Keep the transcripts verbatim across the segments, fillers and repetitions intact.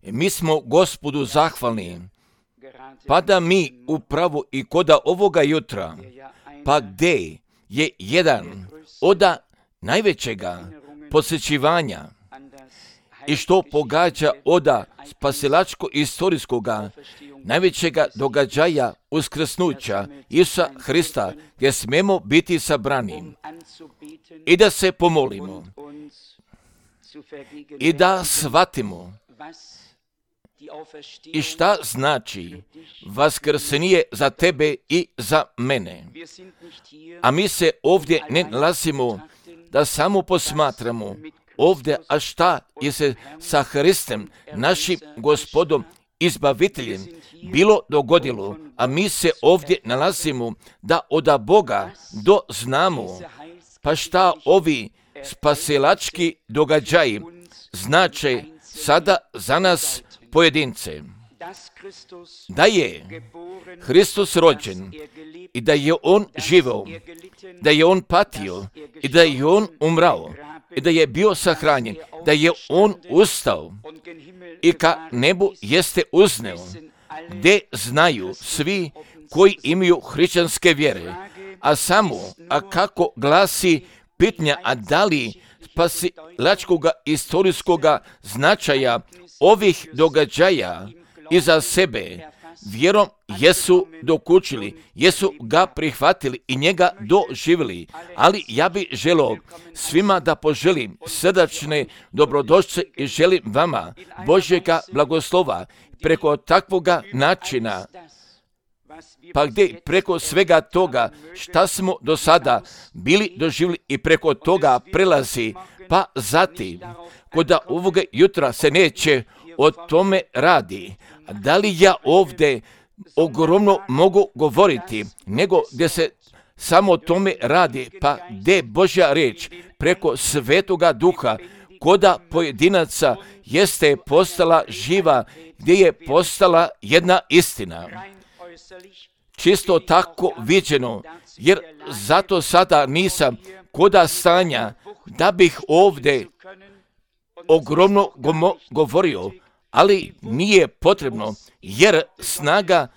Mi smo Gospodu zahvalni, pa da mi upravo i koda ovoga jutra, pa gdje je jedan od najvećega posjećivanja i što pogađa od spasilačko-istorijskoga najvećega događaja uskrsnuća Isusa Hrista, gdje smemo biti sabrani i da se pomolimo i da shvatimo i šta znači vaskrsenje za tebe i za mene. A mi se ovdje ne nalazimo da samo posmatramo ovdje, a šta je se sa Hristom, našim Gospodom, izbaviteljem, bilo dogodilo, a mi se ovdje nalazimo da od Boga doznamo, pa šta ovi spasilački događaji znače sada za nas pojedince. Da je Hristos rođen i da je On živio, da je On patio i da je On umrao i da je bio sahranjen, da je On ustao i ka nebu jeste uzneo, gdje znaju svi koji imaju hrišćanske vjere. A samo, a kako glasi pitanja, a da li spasilačkoga istorijskoga značaja ovih događaja iza sebe vjerom jesu dokučili, jesu ga prihvatili i njega doživjeli. Ali ja bih želio svima da poželim srdačne dobrodošlice i želim vama Božjega blagoslova preko takvoga načina, pa gdje preko svega toga šta smo do sada bili doživjeli i preko toga prelazi, pa zatim kod ovoga jutra se neće o tome radi. Da li ja ovdje ogromno mogu govoriti, nego gdje se samo o tome radi, pa gdje Božja riječ preko Svetoga Duha koda pojedinaca jeste postala živa, gdje je postala jedna istina. Čisto tako viđeno, jer zato sada nisam koda stanja da bih ovdje ogromno govorio, ali nije potrebno, jer snaga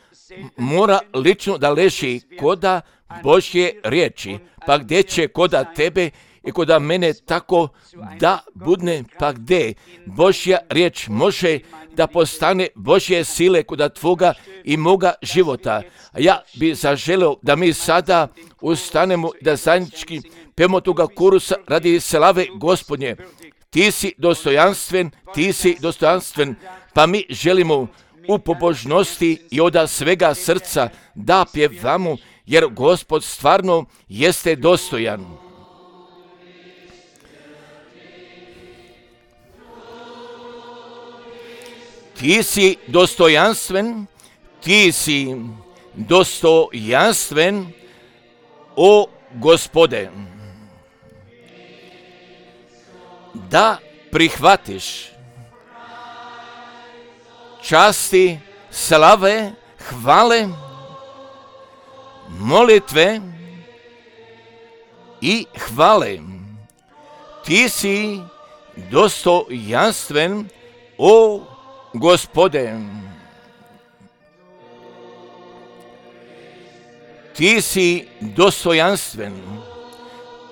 mora lično da leži koda Božje riječi, pa gdje će koda tebe i koda mene tako da budne, pa gdje Božja riječ može da postane Božje sile koda tvoga i moga života. A ja bi zaželio da mi sada ustanemo da zajednički pemo toga kurusa radi slave Gospodnje. Ti si dostojanstven, ti si dostojanstven, pa mi želimo u pobožnosti i od svega srca da pjevamo, jer Gospod stvarno jeste dostojan. Ti si dostojanstven, ti si dostojanstven, o Gospode. Da prihvatiš časti, slave, hvale, molitve i hvale. Ti si dostojanstven, o Gospode. Ti si dostojanstven,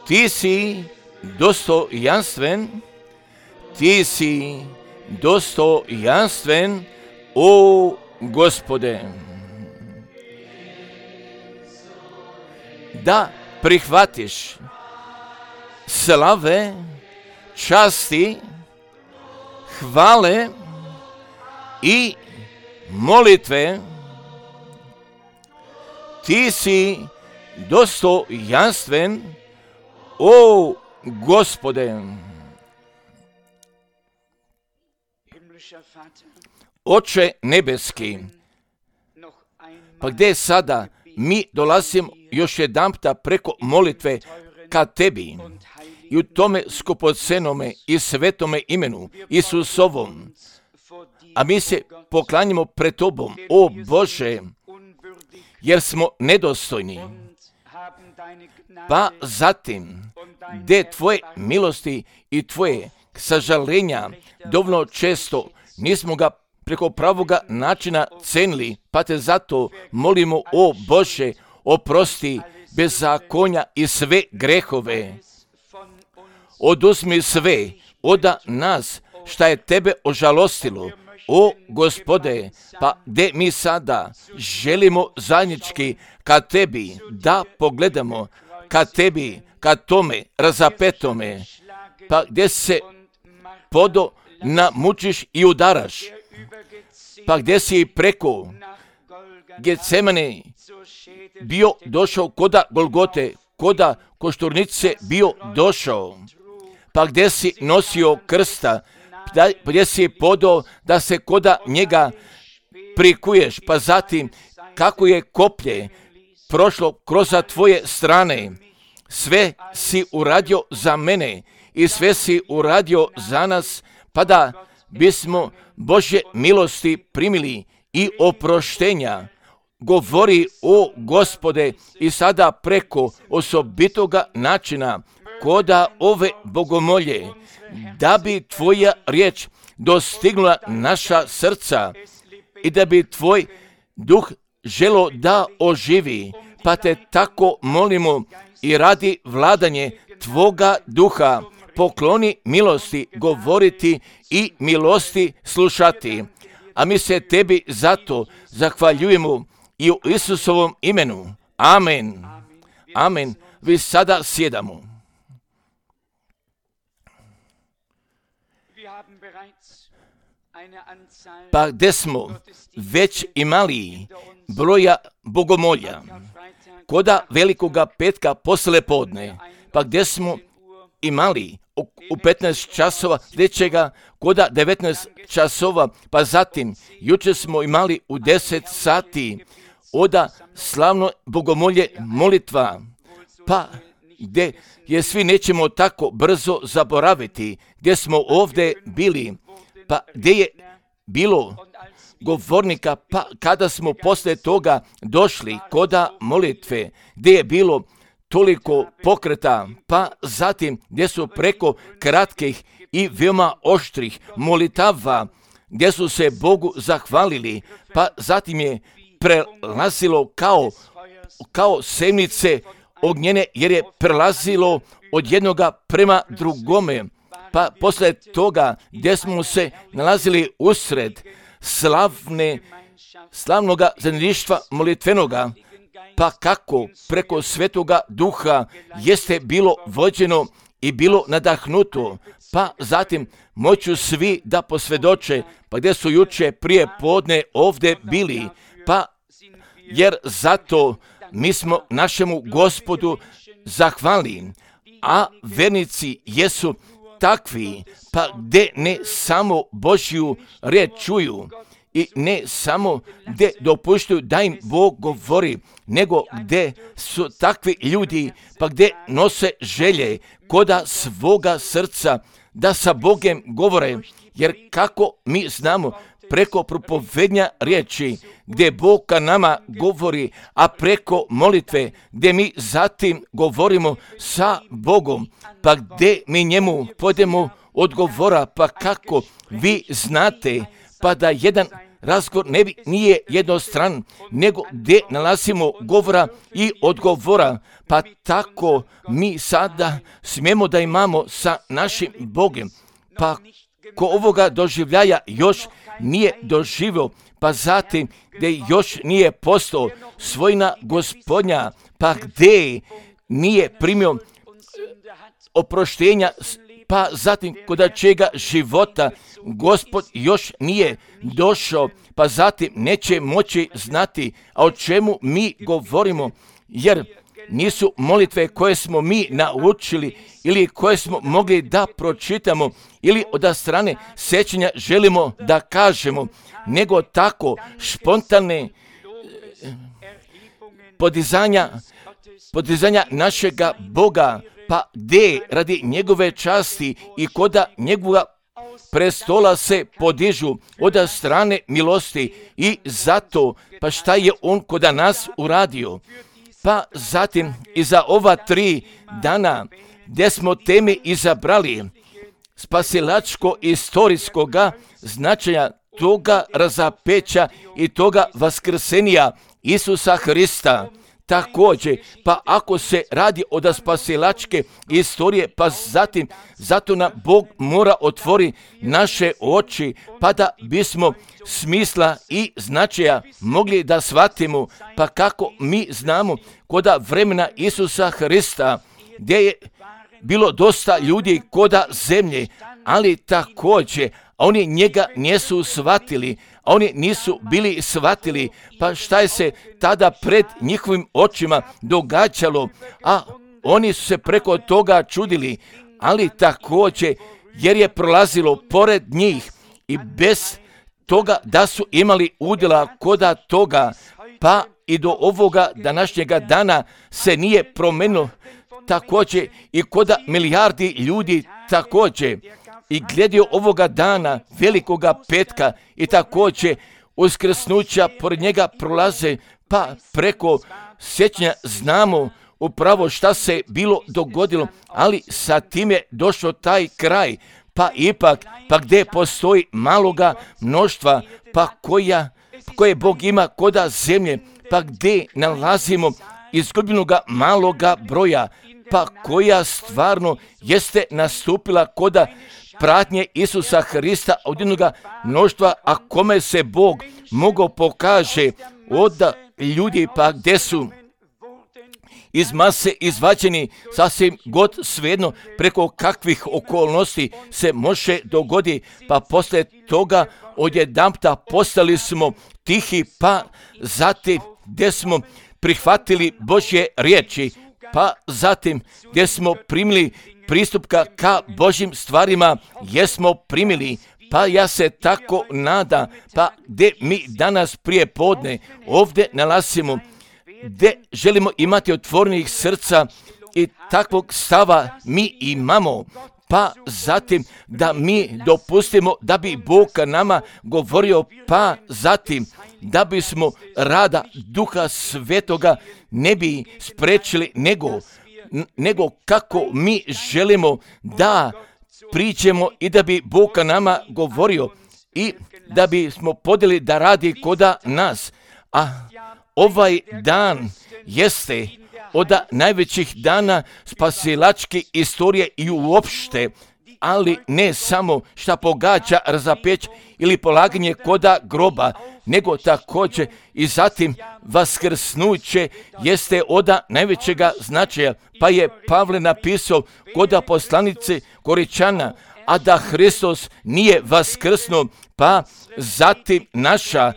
ti si dostojanstven, ti si dostojanstven, o Gospode. Da prihvatiš slave, časti, hvale i molitve, ti si dostojanstven, o Gospode. Oče nebeski, pa gdje sada mi dolazimo još jedanputa preko molitve ka tebi i u tome skupocenome i svetome imenu Isusovom, a mi se poklanjamo pred tobom, o Bože, jer smo nedostojni. Pa zatim, gdje tvoje milosti i tvoje sažalenja dovoljno često nismo ga preko pravoga načina cenili, pa te zato molimo, o Bože, oprosti bezakonja i sve grehove. Oduzmi sve od nas šta je tebe ožalostilo, o Gospode, pa gdje mi sada želimo zajednički ka tebi da pogledamo, ka tebi, ka tome razapetome, pa gdje se podo namučiš i udaraš, pa gdje si preko Getsemane bio došao koda Golgote, koda Košturnice bio došao, pa gdje si nosio krsta, pa gdje si podao da se koda njega prikuješ, pa zatim kako je koplje prošlo kroz tvoje strane, sve si uradio za mene i sve si uradio za nas, pa da bismo Božje milosti primili i oproštenja. Govori, o Gospode, i sada preko osobitoga načina koda ove bogomolje, da bi tvoja riječ dostignula naša srca i da bi tvoj duh želo da oživi, pa te tako molimo i radi vladanje tvoga duha, pokloni milosti govoriti i milosti slušati. A mi se tebi zato zahvaljujemo i u Isusovom imenu. Amen. Amen. Vi sada sjedamo. Pa gdje smo već imali broja bogomolja, koda velikoga petka posle podne, pa gdje smo imali u petnaest časova sljedećega, koda devetnaest časova, pa zatim jučer smo imali u deset sati oda slavno bogomolje molitva, pa gdje je svi nećemo tako brzo zaboraviti, gdje smo ovdje bili, pa gdje je bilo govornika, pa kada smo poslije toga došli koda molitve, gdje je bilo toliko pokreta, pa zatim gdje su preko kratkih i veoma oštrih molitava, gdje su se Bogu zahvalili, pa zatim je prelazilo kao, kao semnice ognjene, jer je prelazilo od jednoga prema drugome, pa poslije toga gdje smo se nalazili usred slavne, slavnoga zajedništva molitvenoga, pa kako preko Svetoga Duha jeste bilo vođeno i bilo nadahnuto, pa zatim moću svi da posvjedoče, pa gdje su juče prije podne ovdje bili, pa jer zato mi smo našemu Gospodu zahvalni, a vernici jesu takvi, pa gdje ne samo Božju riječ čuju i ne samo gdje dopuštaju da im Bog govori, nego gdje su takvi ljudi, pa gdje nose želje koda svoga srca da sa Bogem govore, jer kako mi znamo preko propovednja riječi gdje Bog ka nama govori, a preko molitve gdje mi zatim govorimo sa Bogom, pa gdje mi njemu podemo odgovora, pa kako vi znate, pa da jedan razgovor ne bi, nije jednostran, nego gdje nalazimo govora i odgovora, pa tako mi sada smijemo da imamo sa našim Bogom, pa ko ovoga doživljaja još nije doživio, pa zatim gdje još nije postao svojina Gospodnja, pa gdje nije primio oproštenja, pa zatim kod čega života Gospod još nije došao, pa zatim neće moći znati, a o čemu mi govorimo, jer nisu molitve koje smo mi naučili ili koje smo mogli da pročitamo ili od strane sjećanja želimo da kažemo, nego tako spontane podizanja, podizanja našega Boga, pa gdje radi njegove časti i koda njegova prestola se podižu od strane milosti i zato, pa šta je on koda nas uradio. Pa zatim i za ova tri dana gdje smo teme izabrali, spasilačko istorijskoga značaja toga razapeća i toga vaskrsenija Isusa Hrista. Također, pa ako se radi od spasilačke istorije, pa zatim, zato nam Bog mora otvori naše oči, pa da bismo smisla i značaja mogli da shvatimo, pa kako mi znamo koda vremena Isusa Hrista, gdje je bilo dosta ljudi koda zemlje, ali također oni njega nisu shvatili, a oni nisu bili shvatili, pa šta je se tada pred njihovim očima događalo, a oni su se preko toga čudili, ali također jer je prolazilo pored njih i bez toga da su imali udjela koda toga, pa i do ovoga današnjega dana se nije promenilo, također i koda milijardi ljudi također. I gledio ovoga dana, velikoga petka i također uskrsnuća pored njega prolaze, pa preko sjećanja znamo upravo šta se bilo dogodilo, ali sa tim je došao taj kraj, pa ipak, pa gdje postoji maloga mnoštva, pa koja, koje Bog ima koda zemlje, pa gdje nalazimo izgubljenoga maloga broja, pa koja stvarno jeste nastupila koda pratnje Isusa Hrista od jednoga mnoštva, a kome se Bog mogao pokaže od ljudi, pa gdje su iz mase izvađeni sasvim god svejedno preko kakvih okolnosti se može dogoditi, pa poslije toga odjedanputa postali smo tihi, pa zatim gdje smo prihvatili Božje riječi, pa zatim gdje smo primili pristupka ka Božjim stvarima, jesmo primili, pa ja se tako nada, pa gdje mi danas prije podne ovdje nalazimo, gdje želimo imati otvorenih srca i takvog stava mi imamo, pa zatim da mi dopustimo da bi Bog nama govorio, pa zatim da bismo rada Duha Svetoga ne bi sprečili, nego nego kako mi želimo da priđemo i da bi Bog nama govorio i da bismo podjeli da radi koda nas. A ovaj dan jeste od najvećih dana spasilačke istorije i uopšte, ali ne samo šta pogađa razapeć ili polaganje koda groba, nego također i zatim vaskrsnuće jeste od najvećega značaja, pa je Pavle napisao koda poslanice Koričana, a da Hristos nije vaskrsnuo, pa zatim naša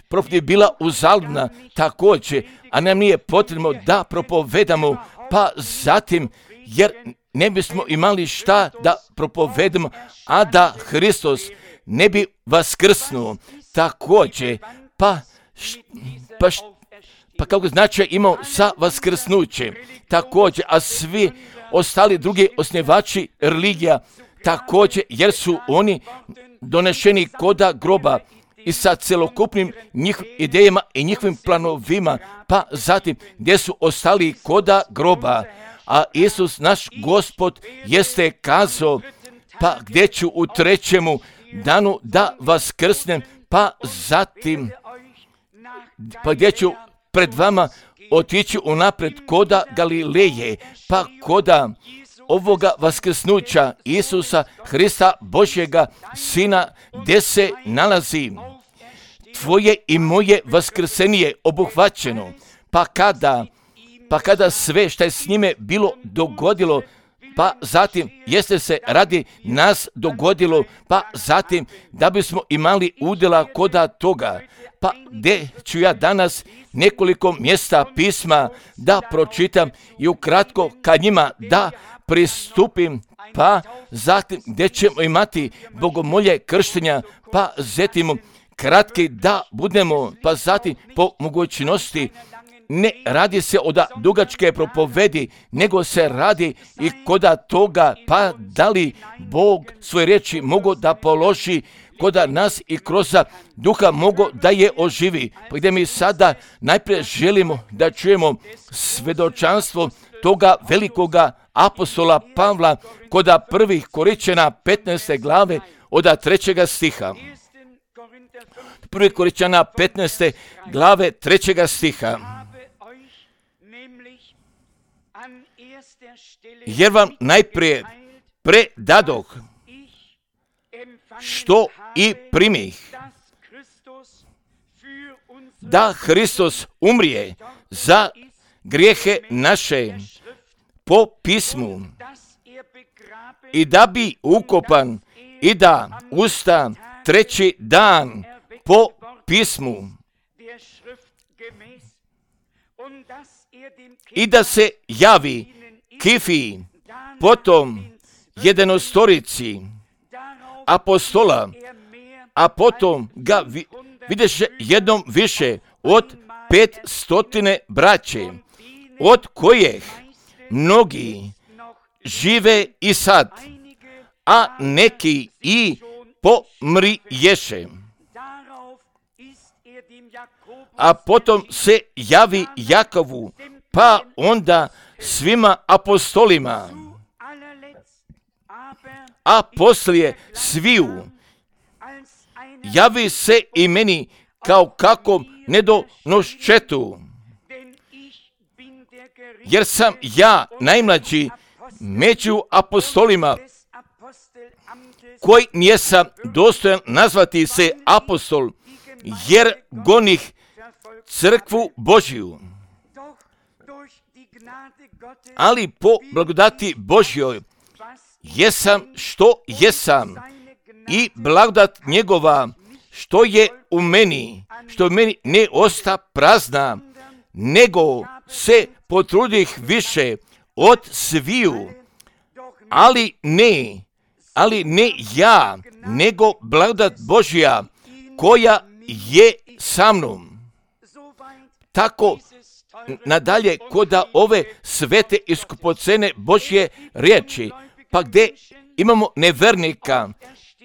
propovijed je bila uzaludna također, a nam nije potrebno da propovedamo, pa zatim jer ne bismo imali šta da propovedamo, a da Hristos ne bi vaskrsnuo također, pa, š, pa, š, pa kako znači imao sa vaskrsnućem također, a svi ostali drugi osnivači religija također, jer su oni donešeni koda groba i sa celokupnim njihovim idejama i njihovim planovima, pa zatim gdje su ostali koda groba, a Isus naš Gospod jeste kazao, pa gdje ću u trećemu danu da vaskrsnem, pa zatim pa gdje ću pred vama otići unapred koda Galileje, pa koda ovoga vaskrsnuća Isusa Hrista Božjega Sina, gdje se nalazi tvoje i moje vaskrsenje obuhvaćeno, pa kada pa kada sve što je s njime bilo dogodilo, pa zatim jeste se radi nas dogodilo, pa zatim da bismo imali udjela koda toga, pa gdje ću ja danas nekoliko mjesta pisma da pročitam i ukratko ka njima da pristupim, pa zatim gdje ćemo imati bogomolje krštenja, pa zetimo kratki da budemo, pa zatim po mogućnosti ne radi se od dugačke propovedi, nego se radi i koda toga, pa da li Bog svoje riječi mogu da položi koda nas i kroz duha mogu da je oživi. Pa gdje mi sada najprije želimo da čujemo svedočanstvo toga velikoga apostola Pavla koda prvih Koričana petnaeste glave od trećega stiha. Prvi Koričana petnaeste glave trećega stiha. Jer vam najprije predadoh, što i primih, da Hristos umrije za grijehe naše po pismu i da bi ukopan i da usta treći dan po pismu i da se javi Kifiji, potom jedenostorici apostola, a potom ga vi, videše jednom više od pet stotine braće, od kojih mnogi žive i sad, a neki i pomriješe. A potom se javi Jakovu, pa onda svima apostolima, a poslije sviju javi se i meni kao kakvom nedonoščetu, jer sam ja najmlađi među apostolima, koji nijesam dostojan nazvati se apostol, jer gonih crkvu Božju. Ali po blagodati Božjoj jesam što jesam i blagodat njegova što je u meni, što u meni ne osta prazna, nego se potrudih više od sviju, ali ne, ali ne ja, nego blagodat Božja koja je sa mnom. Tako nadalje koda ove svete i skupocene Božje riječi, pa gdje imamo nevernika,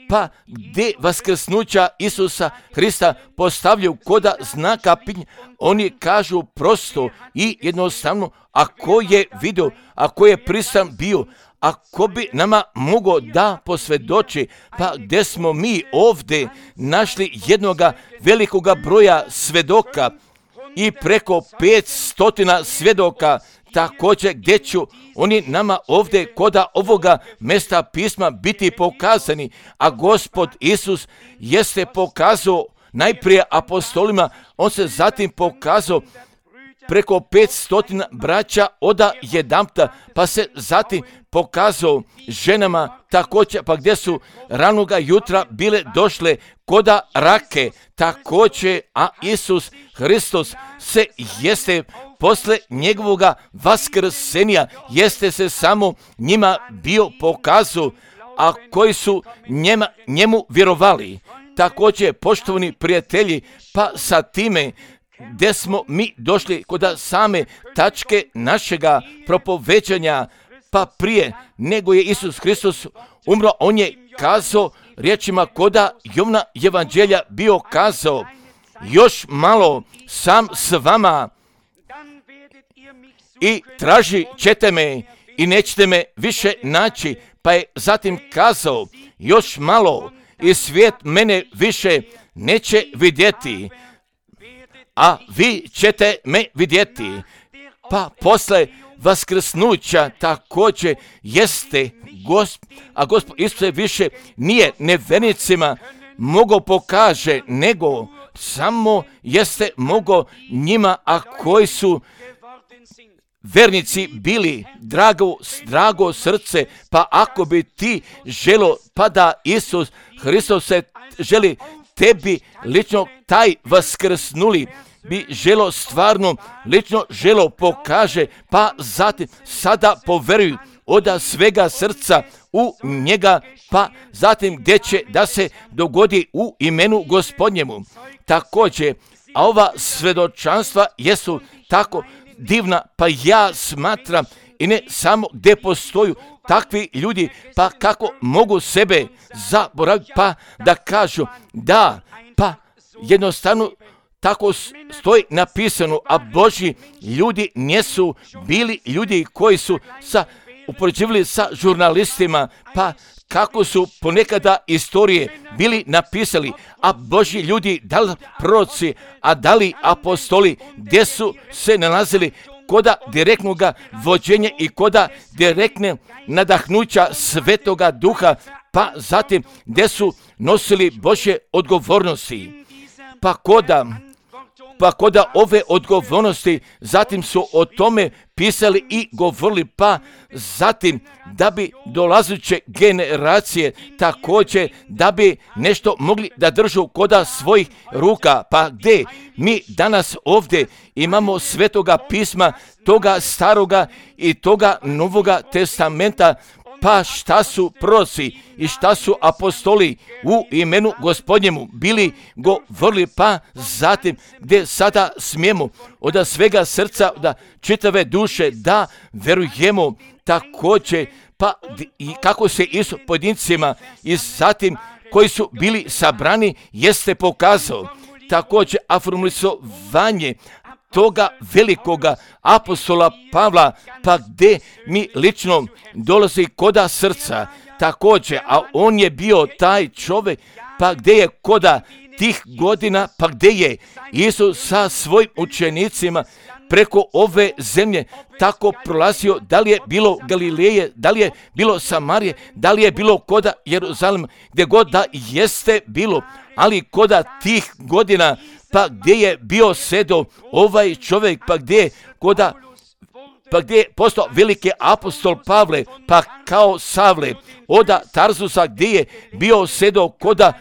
pa gdje vaskrsnuća Isusa Hrista postavljaju koda znaka pitanja, oni kažu prosto i jednostavno, ako je vidio, ako je pristan bio, ako bi nama mogao da posvjedoči, pa gdje smo mi ovdje našli jednoga velikoga broja svedoka i preko pet stotina svjedoka, također gdje ću oni nama ovdje koda ovoga mjesta pisma biti pokazani, a Gospod Isus jeste pokazao najprije apostolima, on se zatim pokazao preko pet stotina braća oda jedamta, pa se zatim pokazao ženama također, pa gdje su ranoga jutra bile došle koda rake također, a Isus Hristos se jeste posle njegovoga vaskrsenja jeste se samo njima bio pokazao, a koji su njema, njemu vjerovali. Također, poštovani prijatelji, pa sa time gdje smo mi došli kod same tačke našega propoveđanja, pa prije nego je Isus Hristos umro, on je kazao riječima koda Jovna evanđelja bio kazao, još malo sam s vama i traži ćete me i nećete me više naći, pa je zatim kazao, još malo i svijet mene više neće vidjeti, a vi ćete me vidjeti. Pa posle vaskrsnuća također jeste Gosp, a Gospod Isus više nije nevernicima mogao pokaže, nego samo jeste mogao njima, a koji su vernici bili drago, drago srce, pa ako bi ti želo, pa da Isus Hristos se želi tebi lično taj vaskrsnuli, bi želo stvarno, lično želo pokaže, pa zatim sada poveruju od svega srca u njega, pa zatim gdje će da se dogodi u imenu Gospodnjemu. Također, a ova svedočanstva jesu tako divna, pa ja smatram i ne samo gdje postoju takvi ljudi, pa kako mogu sebe zaboraviti, pa da kažu da, pa jednostavno tako stoji napisano, a Božji ljudi nisu bili ljudi koji su sa upoređivali sa žurnalistima, pa kako su ponekada istorije bili napisali, a Božji ljudi, da li proroci, a da li apostoli, gdje su se nalazili koda direktnog vođenja i koda direktne nadahnuća Svetoga Duha, pa zatim gdje su nosili Božje odgovornosti. Pa koda, pa koda ove odgovornosti, zatim su o tome pisali i govorili, pa zatim da bi dolazeće generacije također da bi nešto mogli da držu koda svojih ruka. Pa gdje mi danas ovdje imamo Svetoga pisma, toga staroga i toga novoga testamenta, pa šta su proroci i šta su apostoli u imenu Gospodnjemu bili govorili, pa zatim gdje sada smijemo od svega srca, da čitave duše da verujemo također, pa i kako se i s pojedincima i zatim koji su bili sabrani jeste pokazao. Također afirmisovanje toga velikoga apostola Pavla, pa gdje mi lično dolazi koda srca također, a on je bio taj čovjek, pa gdje je koda tih godina, pa gdje je Isus sa svojim učenicima preko ove zemlje tako prolazio, da li je bilo Galileje, da li je bilo Samarije, da li je bilo koda Jeruzalema, gdje god da jeste bilo, ali koda tih godina, pa gdje je bio sedo ovaj čovjek, pa gdje je koda, pa gdje je postao veliki apostol Pavle, pa kao Savle, oda Tarzusa gdje je bio sedo koda,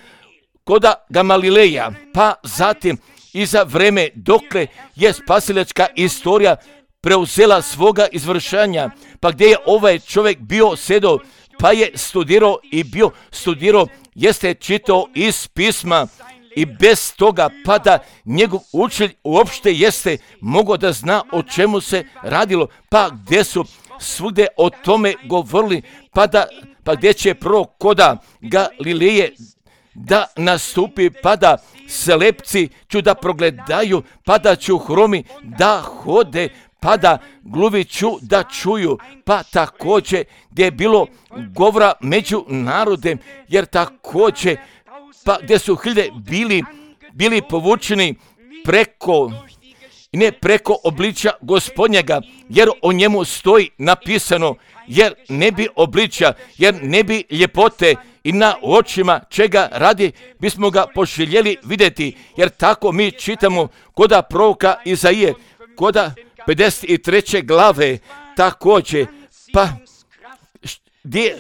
koda Gamalileja, pa zatim i za vreme dokle je spasilačka istorija preuzela svoga izvršanja, pa gdje je ovaj čovjek bio sedo, pa je studirao i bio studirao, jeste čitao iz pisma i bez toga pa da njegov učitelj uopšte jeste mogao da zna o čemu se radilo, pa gdje su svugdje o tome govorili, pa, da, pa gdje će prvo koda Galileje da nastupi, pa da slepci ću da progledaju, pa da ću hromi da hode, pa da gluvi ću da čuju, pa također gdje je bilo govora među narodem, jer također pa gdje su hiljade bili, bili povučeni preko, ne preko obličja Gospodnjega, jer o njemu stoji napisano, jer ne bi obličja, jer ne bi ljepote i na očima čega radi bismo ga poželjeli vidjeti, jer tako mi čitamo koda proroka Izaije, koda pedeset treće glave također, pa Gdje,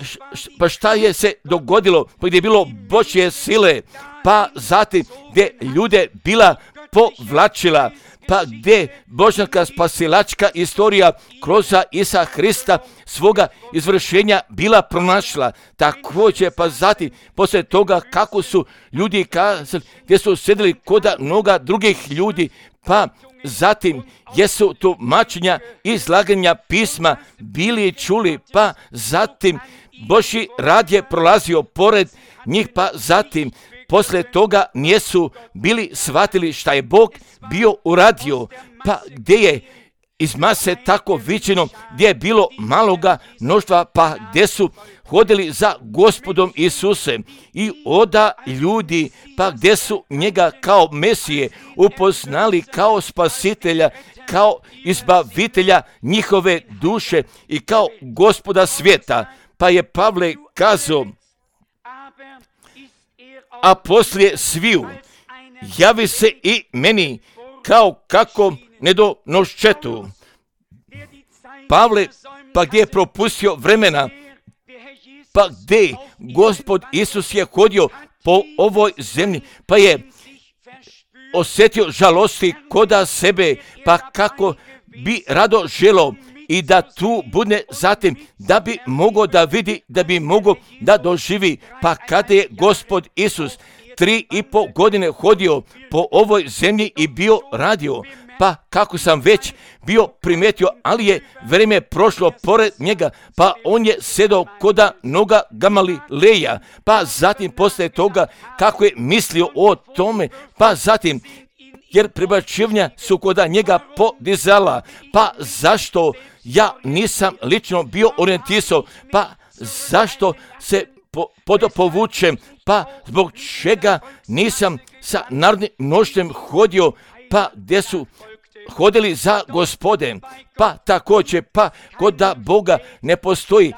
pa šta je se dogodilo, pa gdje je bilo Božje sile, pa zatim gdje ljude bila povlačila, pa gdje božanska spasilačka istorija kroz Isa Hrista svoga izvršenja bila pronašla. Također pa zatim poslije toga kako su ljudi kazali, gdje su sjedili koda mnoga drugih ljudi, pa zatim jesu tumačenja i izlaganja pisma bili čuli, pa zatim Božji rad je prolazio pored njih, pa zatim poslije toga nisu bili shvatili šta je Bog bio uradio, pa gdje je iz mase tako viđeno, gdje je bilo maloga mnoštva, pa gdje su hodili za Gospodom Isusem i oda ljudi, pa gdje su njega kao Mesije upoznali kao spasitelja, kao izbavitelja njihove duše i kao Gospoda svijeta. Pa je Pavle kazao, a poslije sviju javi se i meni kao kako nedonoščetu. Pavle, pa gdje je propustio vremena, pa gdje Gospod Isus je hodio po ovoj zemlji, pa je osjetio žalosti koda sebe, pa kako bi rado želo i da tu bude zatim, da bi mogao da vidi, da bi mogao da doživi, pa kada je Gospod Isus tri i pol godine hodio po ovoj zemlji i bio radio, pa kako sam već bio primetio, ali je vrijeme prošlo pored njega, pa on je sedao koda noga Gamalileja, pa zatim poslije toga kako je mislio o tome, pa zatim jer prebačivanja su koda njega podizala. Pa zašto ja nisam lično bio orijentisao? Pa zašto se po, podopovučem? Pa zbog čega nisam sa narodnim mnoštvom hodio, pa gdje su hodili za Gospode? Pa također, pa kod da Boga ne postoji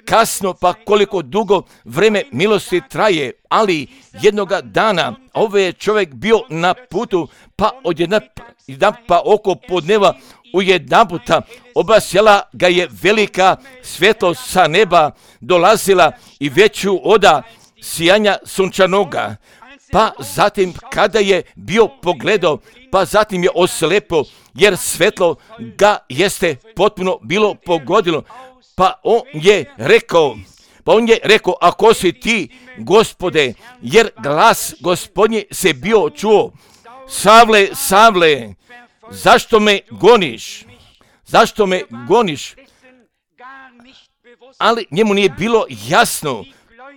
kasno, pa koliko dugo vreme milosti traje, ali jednoga dana ovaj je čovjek bio na putu, pa odjedna jedan pa oko podneva u jedan puta obasjala ga je velika svjetlost sa neba, dolazila i veću oda sijanja sunčanoga. Pa zatim kada je bio pogledao, pa zatim je oslepo, jer svetlo ga jeste potpuno bilo pogodilo. Pa on je rekao, pa on je rekao, ako si ti, Gospode, jer glas Gospodnji se bio čuo, Savle, Savle, zašto me goniš? Zašto me goniš? Ali njemu nije bilo jasno,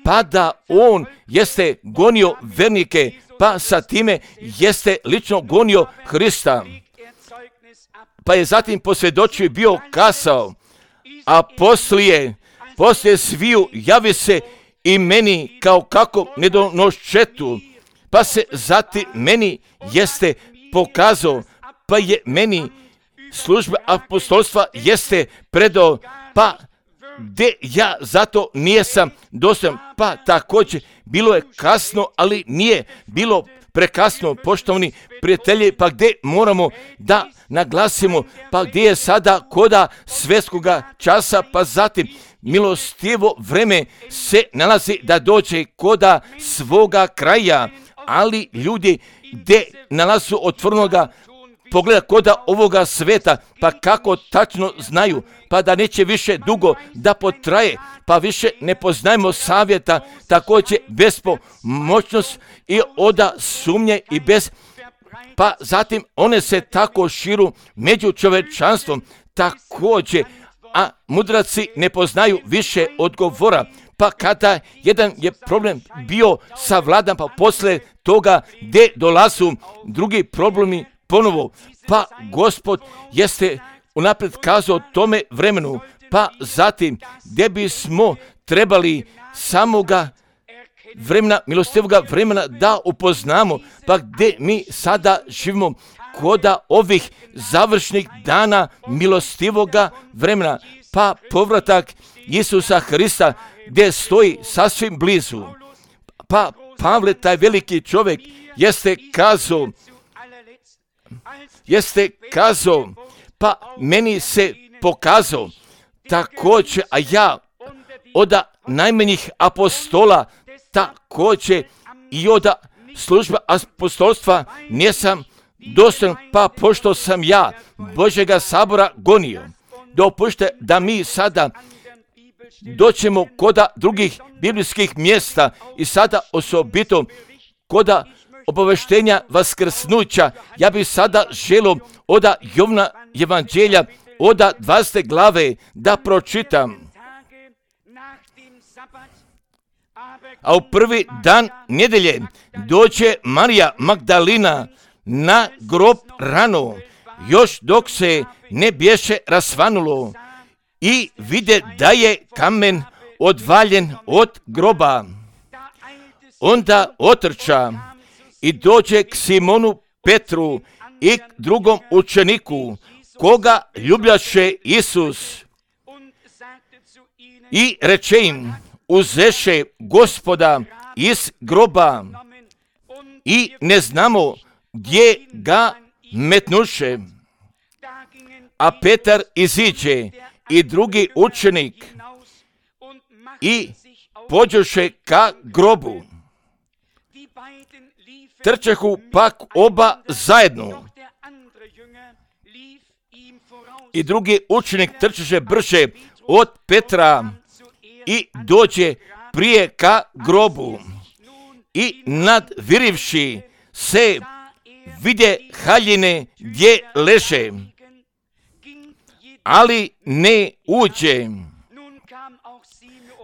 pa da on jeste gonio vernike, pa sa time jeste lično gonio Hrista. Pa je zatim posvjedočio i bio kasao, a poslije, poslije sviju javi se i meni kao kako nedonoščetu, pa se zatim meni jeste pokazao, pa je meni služba apostolstva jeste predao, pa gdje ja zato nijesam dostojan. Pa također bilo je kasno, ali nije bilo prekasno, poštovani prijatelji, pa gdje moramo da naglasimo, pa gdje je sada koda svjetskoga časa, pa zatim milostivo vreme se nalazi da dođe koda svoga kraja, ali ljudi gdje nalazu otvornoga pogleda koda ovoga sveta, pa kako tačno znaju, pa da neće više dugo da potraje, pa više ne poznajemo savjeta, također bespomoćnost i oda sumnje i bez, pa zatim one se tako širu među čovečanstvom, također, a mudraci ne poznaju više odgovora. Pa kada jedan je problem bio savladan, pa posle toga gdje dolazu drugi problemi ponovo, pa Gospod jeste unaprijed kazao tome vremenu, pa zatim gdje bismo trebali samoga vremena, milostivoga vremena da upoznamo, pa gdje mi sada živimo koda ovih završnih dana milostivoga vremena, pa povratak Isusa Hrista gdje stoji sasvim blizu. Pa Pavle, taj veliki čovjek, jeste kazao, jeste kazao, pa meni se pokazao također, a ja od najmanjih apostola također i od služba apostolstva nisam dostojan, pa pošto sam ja Božjega sabora gonio. Dopušte da mi sada doćemo koda drugih biblijskih mjesta i sada osobito koda obaveštenja vaskrsnuća. Ja bih sada želio oda Jovna evanđelja oda dvadesete glave da pročitam. A u prvi dan nedelje dođe Marija Magdalina na grob rano, još dok se ne bješe rasvanulo, i vide da je kamen odvaljen od groba. Onda otrča i dođe k Simonu Petru i k drugom učeniku, koga ljubljaše Isus, i reče im, uzeše Gospoda iz groba i ne znamo gdje ga metnuše. A Petar iziđe i drugi učenik i pođoše ka grobu. Trčehu pak oba zajedno. I drugi učenik trčeše brže od Petra i dođe prije ka grobu. I nadvirivši se vide haljine gdje leže, ali ne uđe.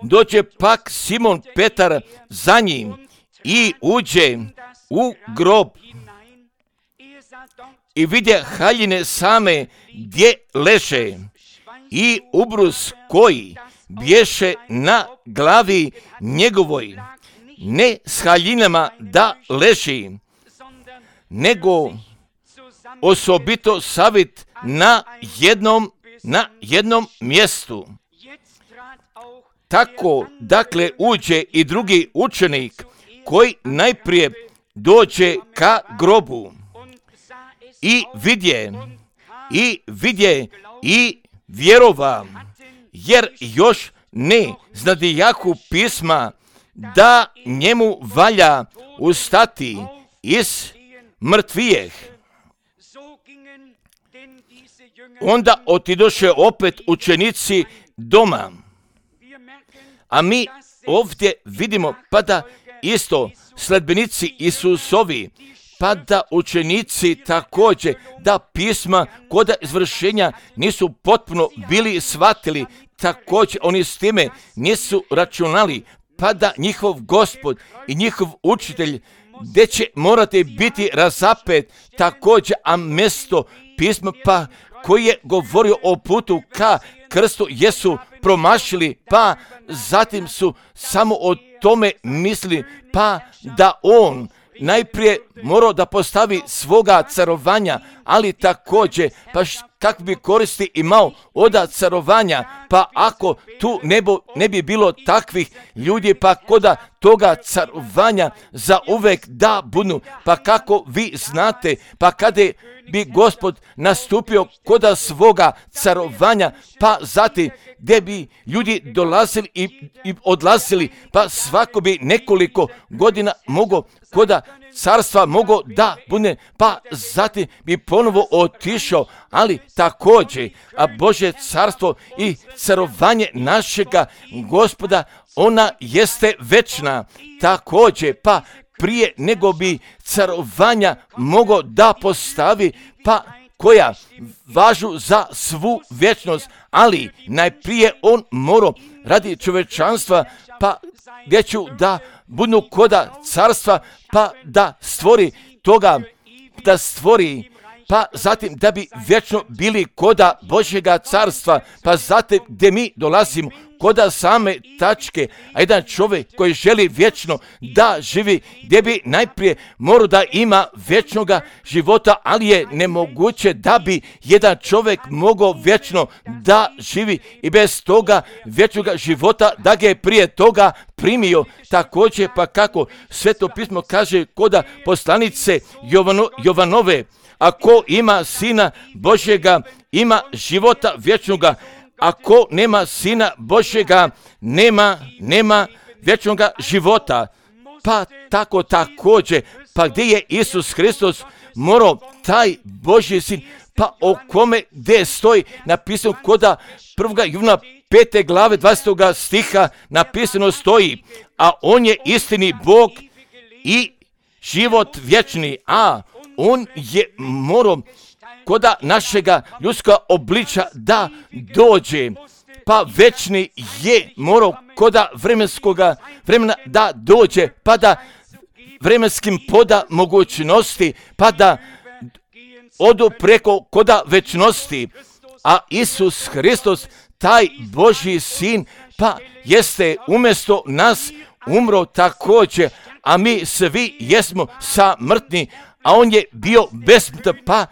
Dođe pak Simon Petar za njim i uđe u grob i vidje haljine same gdje leže i ubrus koji bješe na glavi njegovoj, ne s haljinama da leži, nego osobito savit na jednom, na jednom mjestu. Tako, dakle, uđe i drugi učenik koji najprije dođe ka grobu i vidje, i vidje i vjerova, jer još ne znadijahu pisma da njemu valja ustati iz mrtvijeh. Onda otidoše opet učenici doma. A mi ovdje vidimo pa da isto sledbenici Isusovi, pa da učenici također, da pisma kod izvršenja nisu potpuno bili shvatili, također oni s time nisu računali, pa da njihov Gospod i njihov učitelj gdje će morati biti razapet također, a mjesto pisma pa koji je govorio o putu ka krstu jesu promašili, pa zatim su samo o tome mislili, pa da on najprije morao da postavi svoga carovanja, ali također, pa kako bi koristi imao od carovanja, pa ako tu ne, bo, ne bi bilo takvih ljudi, pa koda toga carovanja za uvek da budu, pa kako vi znate, pa kada bi Gospod nastupio koda svoga carovanja, pa zatim gdje bi ljudi dolazili i, i odlazili, pa svako bi nekoliko godina mogo koda carstva mogo da bude, pa zatim bi ponovo otišao, ali također, a Božje carstvo i carovanje našega Gospoda, ona jeste večna, također, pa prije nego bi carovanja mogo da postavi, pa koja važu za svu vječnost, ali najprije on morao radi čovečanstva, pa gdje ću da budu koda carstva, pa da stvori toga, da stvori, pa zatim da bi vječno bili koda Božjega carstva, pa zatim gdje mi dolazimo koda same tačke, a jedan čovjek koji želi vječno da živi, gdje bi najprije morao da ima vječnoga života, ali je nemoguće da bi jedan čovjek mogao vječno da živi i bez toga vječnoga života da ga je prije toga primio. Također, pa kako Sveto pismo kaže koda poslanice Jovano, Jovanove, ako ima Sina Božjega, ima života vječnoga, ako nema Sina Božjega, nema, nema vječnoga života. Pa tako također, pa gdje je Isus Hristos morao taj Božji Sin, pa o kome gdje stoji napisano koda prvoga Jovana pete glave dvadestog stiha napisano stoji, a on je istini Bog i život vječni, a on je morao koda našega ljudskoga obliča da dođe, pa večni je morao koda vremenskoga vremena da dođe, pa da vremenskim poda mogućnosti, pa da odu preko koda večnosti, a Isus Hristos, taj Božji Sin, pa jeste umjesto nas umro također, a mi svi jesmo samrtni, a on je bio besmrtan, pa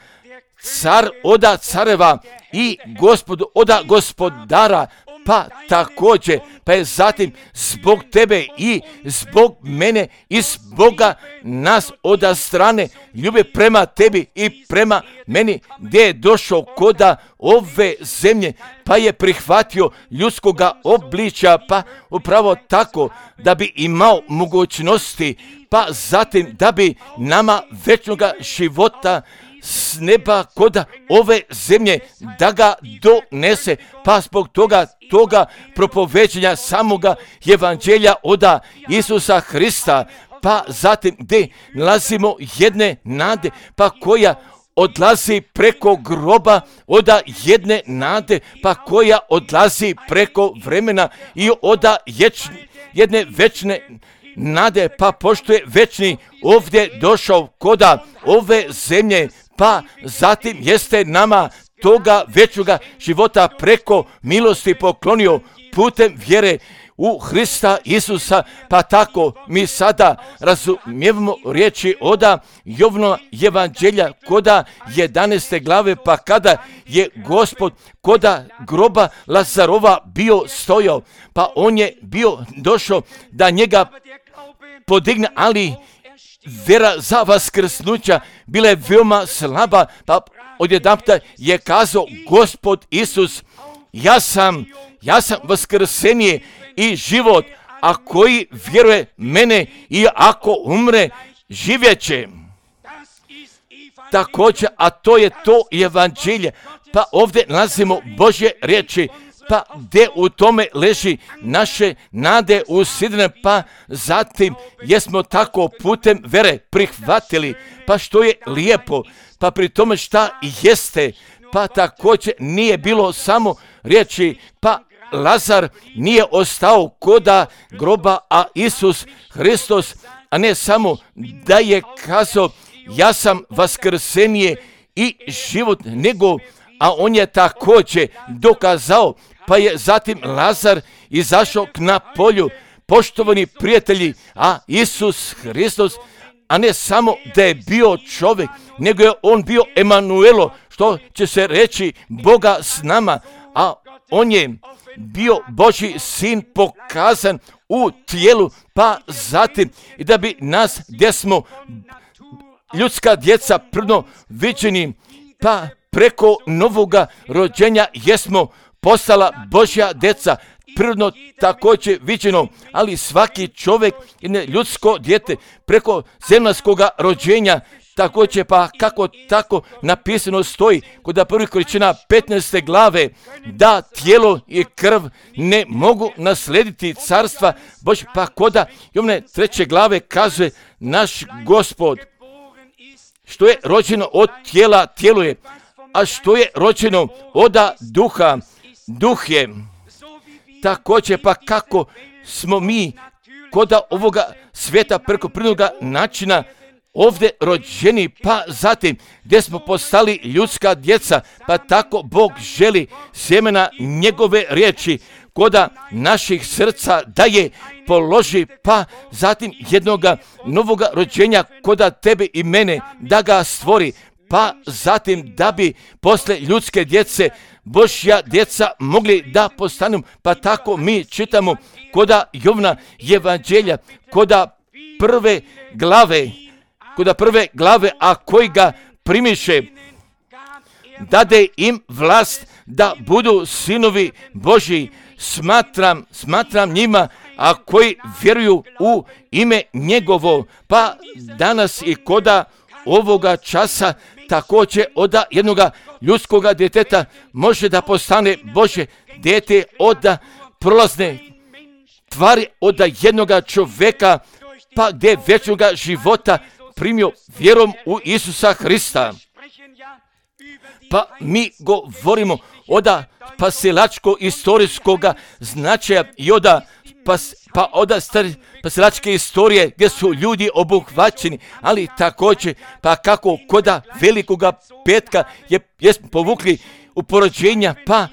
car oda careva i gospod oda gospodara, pa također, pa je zatim zbog tebe i zbog mene i zboga nas oda strane ljube prema tebi i prema meni, gdje je došao koda ove zemlje, pa je prihvatio ljudskoga obličja, pa upravo tako da bi imao mogućnosti, pa zatim da bi nama večnoga života s neba koda ove zemlje da ga donese, pa zbog toga toga propoveđenja samoga evanđelja oda Isusa Hrista, pa zatim gdje nalazimo jedne nade, pa koja odlazi preko groba oda jedne nade, pa koja odlazi preko vremena i oda ječne, jedne večne nade, pa pošto je večni ovdje došao koda ove zemlje, pa zatim jeste nama toga večnoga života preko milosti poklonio putem vjere u Hrista Isusa, pa tako mi sada razumijevamo riječi oda Jovnova evanđelja koda jedanaeste glave, pa kada je Gospod koda groba Lazarova bio stojao, pa on je bio došao da njega podigne, ali vjera za vaskrsnuća bila je veoma slaba, pa odjedanputa je kazao Gospod Isus, ja sam, ja sam vaskrsenje i život, a koji vjeruje mene i ako umre, živjet će. Također, a to je to evanđelje, pa ovdje nalazimo Božje riječi, pa gdje u tome leži naše nade usidrene, pa zatim jesmo tako putem vere prihvatili, pa što je lijepo, pa pri tome šta jeste, pa također nije bilo samo riječi, pa Lazar nije ostao koda groba, a Isus Hristos, a ne samo da je kazao ja sam vaskrsenje i život, nego, a on je također dokazao, pa je zatim Lazar izašao na polju, poštovani prijatelji, a Isus Hristos, a ne samo da je bio čovjek, nego je on bio Emanuelo, što će se reći Boga s nama, a on je bio Božji sin pokazan u tijelu, pa zatim i da bi nas gdje smo ljudska djeca prvno viđeni, pa preko novoga rođenja jesmo postala Božja djeca, prvno također viđeno, ali svaki čovjek je ljudsko dijete preko zemaljskoga rođenja, također pa kako tako napisano stoji kod prvih Korinćana petnaeste glave, da tijelo i krv ne mogu naslediti carstva Božje, pa koda Jovne treće glave kaže naš Gospod, što je rođeno od tijela, tijelo je, a što je rođeno od duha, duh je. Također pa kako smo mi koda ovoga svijeta preko prirodnoga načina ovdje rođeni, pa zatim gdje smo postali ljudska djeca, pa tako Bog želi sjemena njegove riječi koda naših srca da je položi, pa zatim jednoga novoga rođenja koda tebe i mene da ga stvori, pa zatim da bi posle ljudske djece Božja djeca mogli da postanu, pa tako mi čitamo koda Jovna evanđelja, koda prve glave, koda prve glave, a koji ga primiše, dade im vlast da budu sinovi Božji, smatram, smatram njima, a koji vjeruju u ime njegovo, pa danas i koda ovoga časa također od jednoga ljudskoga djeteta može da postane Božje dijete od prolazne tvari, od jednoga čovjeka, pa gdje vječnoga života primio vjerom u Isusa Hrista. Pa mi govorimo od spasilačko-istorijskoga značaja i od pas, pa od spasilačke istorije gdje su ljudi obuhvaćeni, ali također pa kako koda velikoga petka je, jesmo povukli u porođenja, pa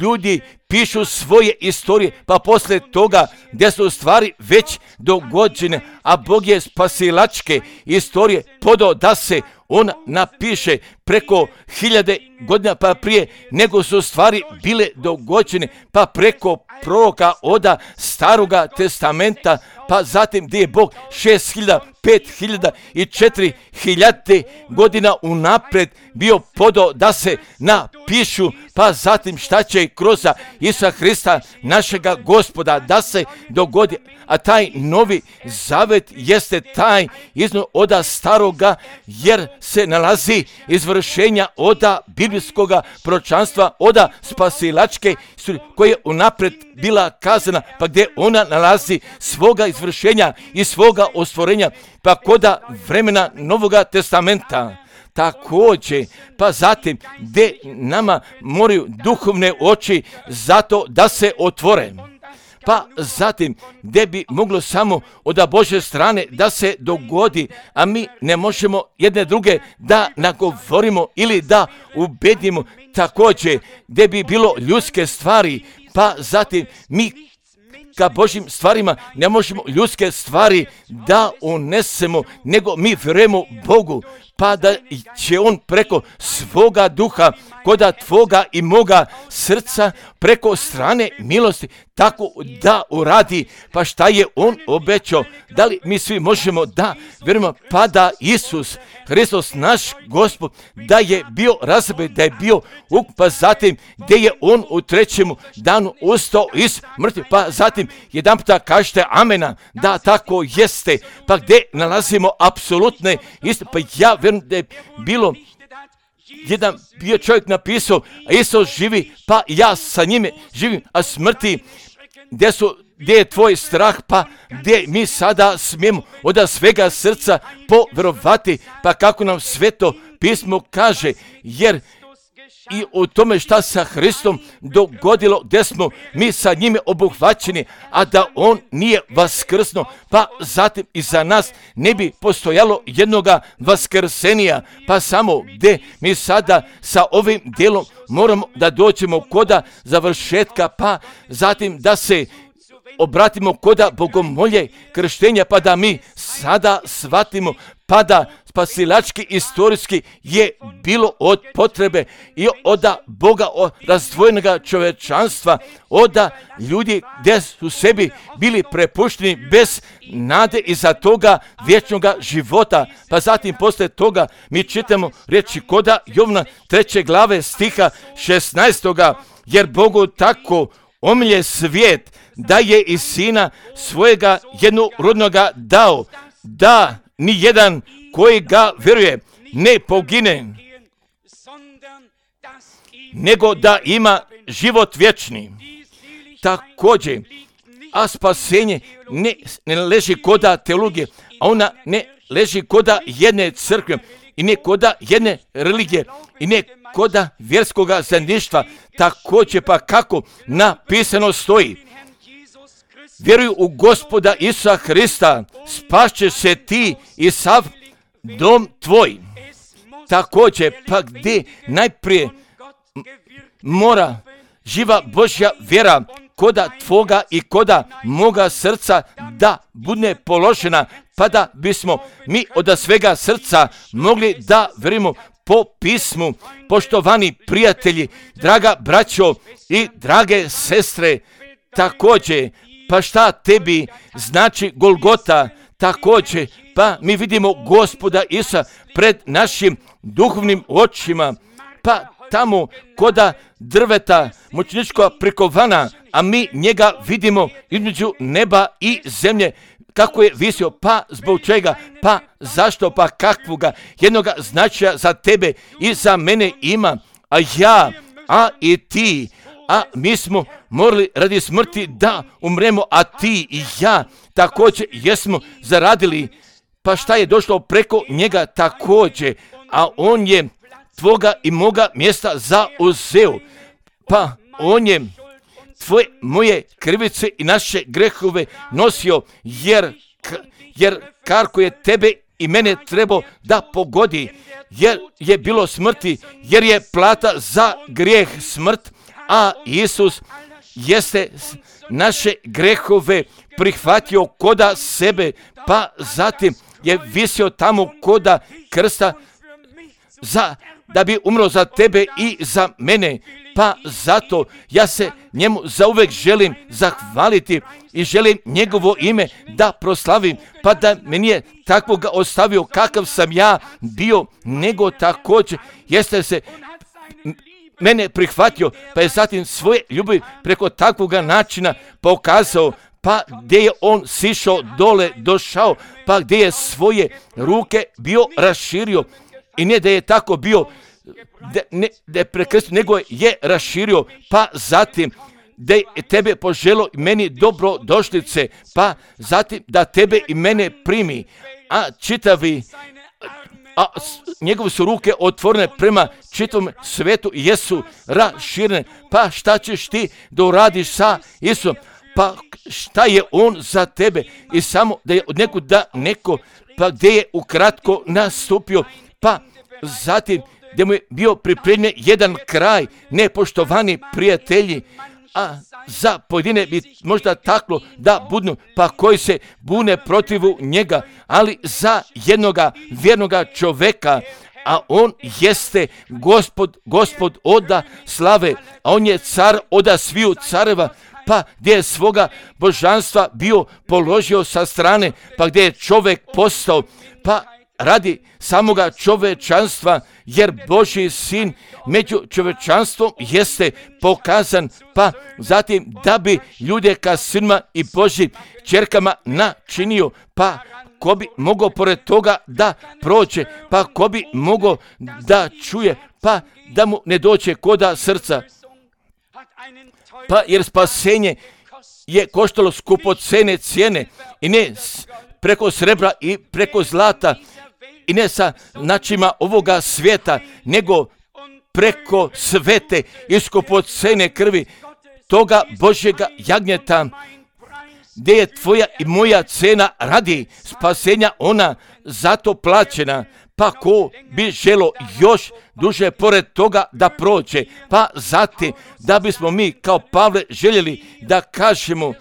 ljudi pišu svoje istorije, pa poslije toga gdje su stvari već dogođene, a Bog je spasilačke istorije podao da se on napiše preko hiljade godina pa prije nego su stvari bile dogođene, pa preko proroka oda Staroga testamenta, pa zatim gdje je Bog šest hiljada, pet hiljada i četiri hiljade godina unaprijed bio podao da se napišu, pa zatim šta će kroz Isusa Hrista našega Gospoda da se dogodi, a taj novi zavet jeste taj izno oda staroga, jer se nalazi izvršenja oda biblijskoga proročanstva, oda spasilačke koja je unaprijed bila kazana, pa gdje ona nalazi svoga izvršenja i svoga ostvorenja, pa koda vremena Novoga testamenta. Također, pa zatim gdje nama moraju duhovne oči zato da se otvore. pa zatim gdje bi moglo samo od Božje strane da se dogodi, a mi ne možemo jedne druge da nagovorimo ili da ubedimo, također gdje bi bilo ljudske stvari, pa zatim mi ka Božjim stvarima ne možemo ljudske stvari da unesemo, nego mi vjerujemo Bogu, pa da će On preko svoga duha, koda tvoga i moga srca, preko strane milosti, tako da uradi. Pa šta je On obećao? Da li mi svi možemo da vjerujemo, pa da Isus Hristos, naš Gospod, da je bio razapet, da je bio uk, pa zatim gdje je On u trećemu danu ustao iz mrtvih, pa zatim jedan puta kažete amena, da tako jeste, pa gdje nalazimo apsolutne istine. Pa ja vjerujem da je bilo jedan bio čovjek napisao, a Isus živi, pa ja sa njime živim, a smrti gdje su, gdje je tvoj strah, pa gdje mi sada smijemo od svega srca povjerovati, pa kako nam Sveto pismo kaže, jer i u tome šta sa Hristom dogodilo, gdje smo mi sa njime obuhvaćeni, a da On nije vaskrsno, pa zatim i za nas ne bi postojalo jednoga vaskrsenija, pa samo gdje mi sada sa ovim dijelom moramo da dođemo koda završetka, pa zatim da se obratimo koda bogomolje krštenja, pa da mi sada shvatimo, pa da spasilački istorijski je bilo od potrebe i od Boga, od razdvojenog čovečanstva, od ljudi gdje su sebi bili prepušteni bez nade iza toga vječnog života. Pa zatim poslije toga mi čitamo riječi koda Jovna treće glave stiha šesnaestoga, jer Bogu tako omilje svijet da je i sina svojega jednorodnoga dao, da ni jedan koji ga vjeruje ne pogine, nego da ima život vječni. Također, a spasenje ne, ne leži koda teologije, a ona ne leži koda jedne crkve i ne koda jedne religije i ne koda vjerskoga zajedništva. Također pa kako napisano stoji, vjeruj u Gospoda Isusa Hrista, spašćeš se ti i sav dom tvoj. Također pa gdje najprije mora živa Božja vjera koda tvoga i koda moga srca da bude položena, pa da bismo mi od svega srca mogli da vjerujemo po pismu. Poštovani prijatelji, draga braćo i drage sestre, također pa šta tebi znači Golgota? Također pa mi vidimo Gospoda Isusa pred našim duhovnim očima, pa tamo koda drveta mučeničkog prikovana, a mi njega vidimo između neba i zemlje, kako je visio, pa zbog čega, pa zašto, pa kakvoga jednoga značaja za tebe i za mene ima, a ja, a i ti, a mi smo morali radi smrti da umremo, a ti i ja također jesmo zaradili, pa šta je došlo preko njega također, a on je tvoga i moga mjesta zauzeo, pa on je tvoje, moje krivice i naše grehove nosio, jer, jer karko je tebe i mene trebao da pogodi, jer je bilo smrti, jer je plata za grijeh smrt, a Isus jeste naše grehove prihvatio koda sebe, pa zatim je visio tamo koda krsta za, da bi umro za tebe i za mene. Pa zato ja se njemu zauvek želim zahvaliti i želim njegovo ime da proslavim, pa da me nije takvoga ostavio kakav sam ja bio, nego također jeste se mene prihvatio, pa je zatim svoje ljubavi preko takvoga načina pokazao, pa gdje je on sišao dole, došao, pa gdje je svoje ruke bio raširio i ne da je tako bio, da, ne, da je prekrstio, nego je raširio, pa zatim da je tebe poželo i meni dobro došlice, pa zatim da tebe i mene primi, a čitavi, a njegove su ruke otvorene prema čitavom svetu i jesu raširene, pa šta ćeš ti da uradiš sa Isusom? pa šta je on za tebe i samo da je od nekud da neko, pa gdje je ukratko nastupio, pa zatim gdje mu je bio pripremljen jedan kraj, nepoštovani prijatelji, a za pojedine bi možda taklo da budnu, pa koji se bune protivu njega, ali za jednoga vjernoga čoveka, a on jeste gospod, gospod oda slave, a on je car oda sviju careva, pa gdje je svoga božanstva bio položio sa strane, pa gdje je čovjek postao, pa radi samoga čovečanstva, jer Božji sin među čovečanstvom jeste pokazan, pa zatim da bi ljude ka sinima i Božjim čerkama načinio, pa ko bi mogao pored toga da prođe, pa ko bi mogao da čuje, pa da mu ne dođe koda srca. Pa jer spasenje je koštalo skupocene cijene i ne preko srebra i preko zlata i ne sa načima ovoga svijeta, nego preko svete i skupocene krvi toga Božjega jagnjeta, gdje je tvoja i moja cena radi spasenja ona zato plaćena, pa ko bi želo još duže pored toga da prođe, pa zatim da bismo mi kao Pavle željeli da kažemo,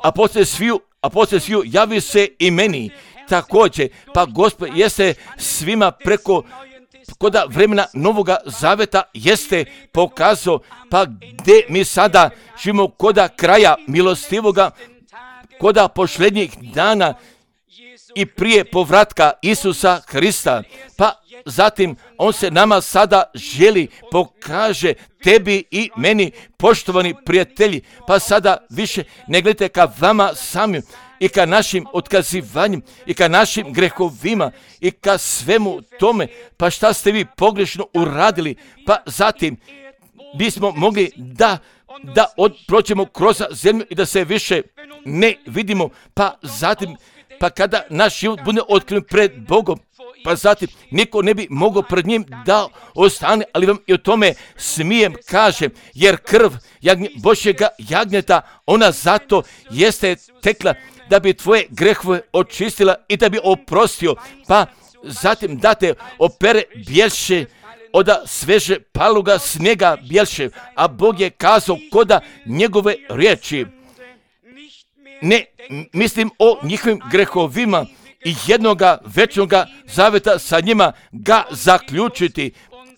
a poslije sviju, a poslije sviju javi se i meni također, pa Gospod jeste svima preko koda vremena Novoga Zaveta jeste pokazao, pa gdje mi sada živimo koda kraja milostivoga, koda posljednjih dana i prije povratka Isusa Hrista, pa zatim on se nama sada želi pokaže tebi i meni, poštovani prijatelji, pa sada više ne gledajte ka vama samim i ka našim otkazivanjem i ka našim grehovima i ka svemu tome, pa šta ste vi pogrešno uradili, pa zatim bismo mogli da da od, prođemo kroz zemlju i da se više ne vidimo, pa zatim pa kada naš život bude otkriven pred Bogom, pa zatim niko ne bi mogao pred njim da ostane, ali vam i o tome smijem kažem, jer krv jagnje, Božjega jagnjeta, ona zato jeste tekla da bi tvoje grehove očistila i da bi oprostio, pa zatim da te opere bjelše oda sveže paluga snijega bjelše, a Bog je kazao koda njegove riječi. Ne mislim o njihovim grehovima i jednoga večnoga zaveta sa njima ga zaključiti.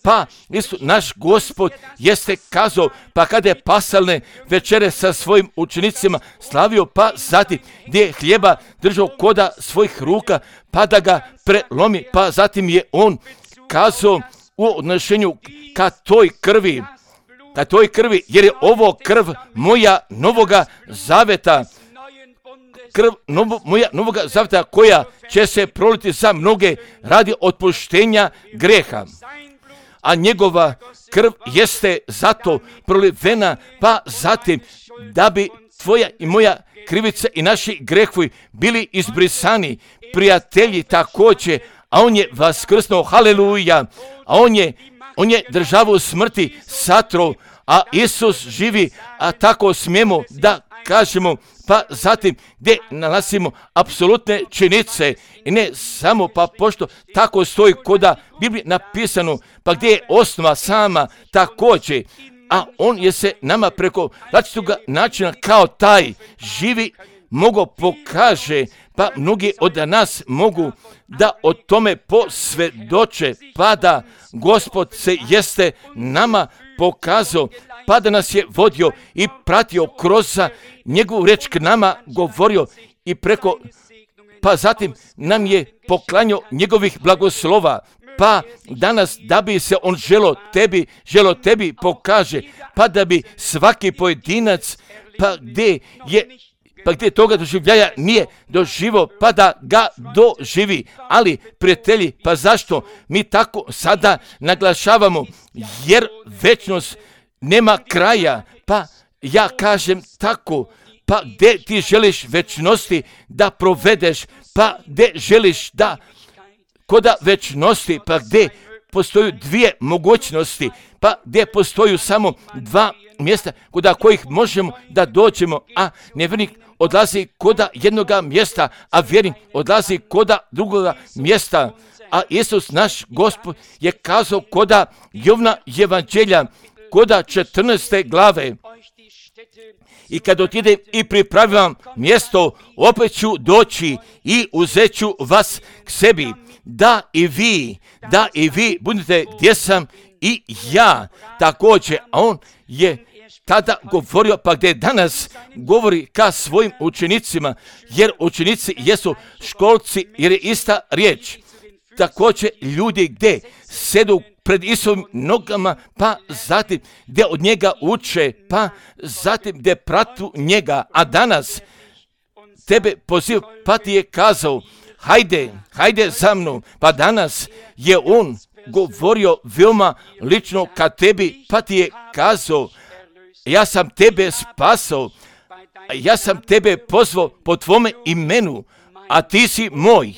Pa isto naš Gospod jeste kazao, pa kada je pasalne večere sa svojim učenicima slavio, pa zatim gdje je hljeba držao koda svojih ruka, pa da ga prelomi, pa zatim je on kazao u odnošenju ka toj krvi, ka toj krvi, jer je ovo krv moja novoga zaveta, krv novo, moja novoga zaveta koja će se proliti za mnoge radi otpuštenja greha. A njegova krv jeste zato prolivena, pa zatim da bi tvoja i moja krivica i naši grehovi bili izbrisani. Prijatelji također, a on je vaskrsnuo, haleluja, a on je, on je državu smrti satro, a Isus živi, a tako smijemo da kažemo, pa zatim gdje nalazimo apsolutne činjenice i ne samo, pa pošto tako stoji koda Biblije napisano, pa gdje je osnova sama također, a on je se nama preko različitoga načina kao taj živi mogo pokaže, pa mnogi od nas mogu da o tome posvjedoče, pa da Gospod se jeste nama pokazao, pa da nas je vodio i pratio kroz njegovu riječ k nama govorio i preko, pa zatim nam je poklanjao njegovih blagoslova, pa danas da bi se on želo tebi, želo tebi pokaže, pa da bi svaki pojedinac, pa gdje je pa gdje toga doživljaja nije doživo, pa da ga doživi. Ali, prijatelji, pa zašto mi tako sada naglašavamo? Jer večnost nema kraja, pa ja kažem tako, pa gdje ti želiš večnosti da provedeš, pa gdje želiš da koda večnosti, pa gdje postoju dvije mogućnosti, pa gdje postoju samo dva mjesta kuda kojih možemo da dođemo, a nevjernik odlazi koda jednoga mjesta, a vjernik odlazi koda drugoga mjesta. A Isus, naš Gospod, je kazao koda Jovna evanđelja, koda četrnaeste glave. I kad otidem i pripravim mjesto, opet ću doći i uzet ću vas k sebi, da i vi, da i vi budete gdje sam i ja također. A on je tada govorio, pa gdje danas govori ka svojim učenicima, jer učenici jesu školci, jer je ista riječ. Također ljudi gdje sedu pred Isusovim nogama, pa zatim gdje od njega uče, pa zatim gdje pratu njega. A danas tebe poziv, pa ti je kazao, hajde, hajde za mnom. Pa danas je on govorio veoma lično ka tebi, pa ti je kazao, ja sam tebe spasao, ja sam tebe pozvao po tvome imenu, a ti si moj.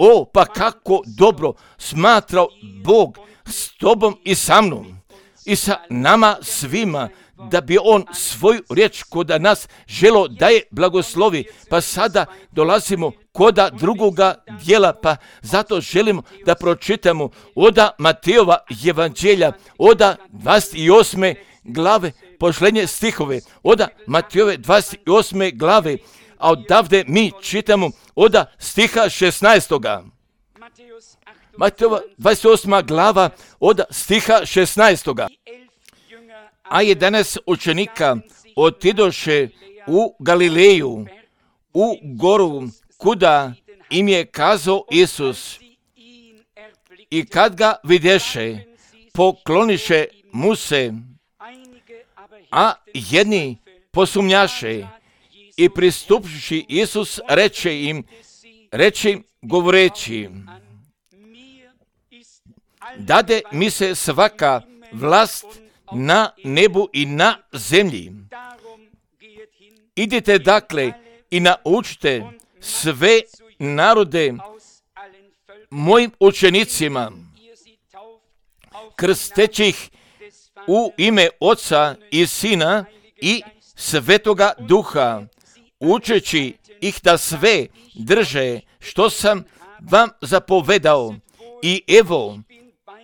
O, pa kako dobro smatrao Bog s tobom i sa mnom i sa nama svima, da bi on svoju riječ koda nas želo da je blagoslovi. Pa sada dolazimo koda drugoga dijela, pa zato želimo da pročitamo oda Matejova evanđelja, oda dvadeset osme glave, posljednje stihove, oda Matejove dvadeset osme glave, a odavde mi čitamo oda stiha šesnaestoga. Matejova dvadeset osma glava oda stiha šesnaestoga. A jedanaest učenika otidoše u Galileju, u goru, kuda im je kazao Isus. I kad ga videše, pokloniše mu se, a jedni posumnjaše. I pristupivši Isus reče im, reče im govoreći, dade mi se svaka vlast na nebu i na zemlji. Idite dakle i naučite sve narode mojim učenicima, krsteći ih u ime Oca i Sina i Svetoga Duha, učeći ih da sve drže što sam vam zapovedao. I evo,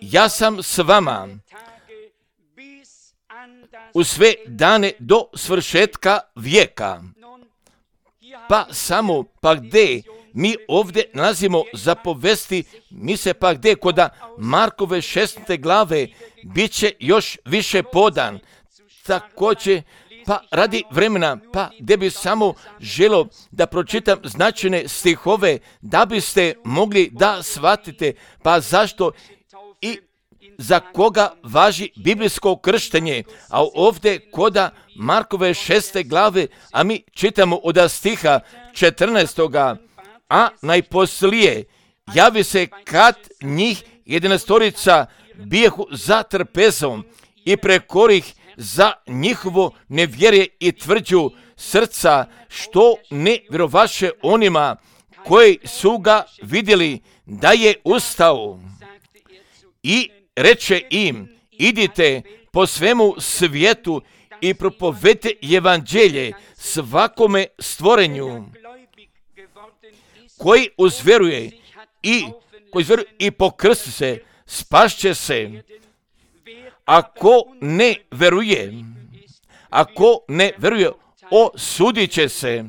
ja sam s vama u sve dane do svršetka vijeka. Pa samo, pa gdje mi ovdje nalazimo zapovesti, mi se pa gdje koda Markove šesnaeste glave bit će još više podan. Također, pa radi vremena, pa gdje bi samo želo da pročitam značajne stihove, da biste mogli da shvatite, pa zašto i za koga važi biblijsko krštenje. A ovdje koda Markove šeste glave, a mi čitamo od stiha četrnaestoga. A najposlije javi se kad njih jedanaestorica bijehu za trpezom i prekorih za njihovo nevjerje i tvrđu srca, što ne vjerovaše onima koji su ga vidjeli da je ustao. I reče im, idite po svemu svijetu i propovedite evanđelje svakome stvorenju. Koji uzvjeruje i, koji uzvjeruje i pokrsti se, spašće se. Ako ne veruje, ako ne veruje, osudit će se.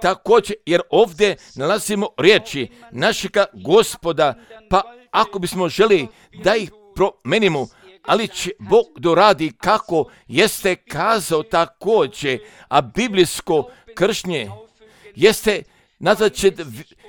Također, jer ovdje nalazimo riječi našega Gospoda, pa ako bismo želi da ih promenimo, ali će Bog doradi kako jeste kazao također, a biblijsko krštenje jeste nazvat će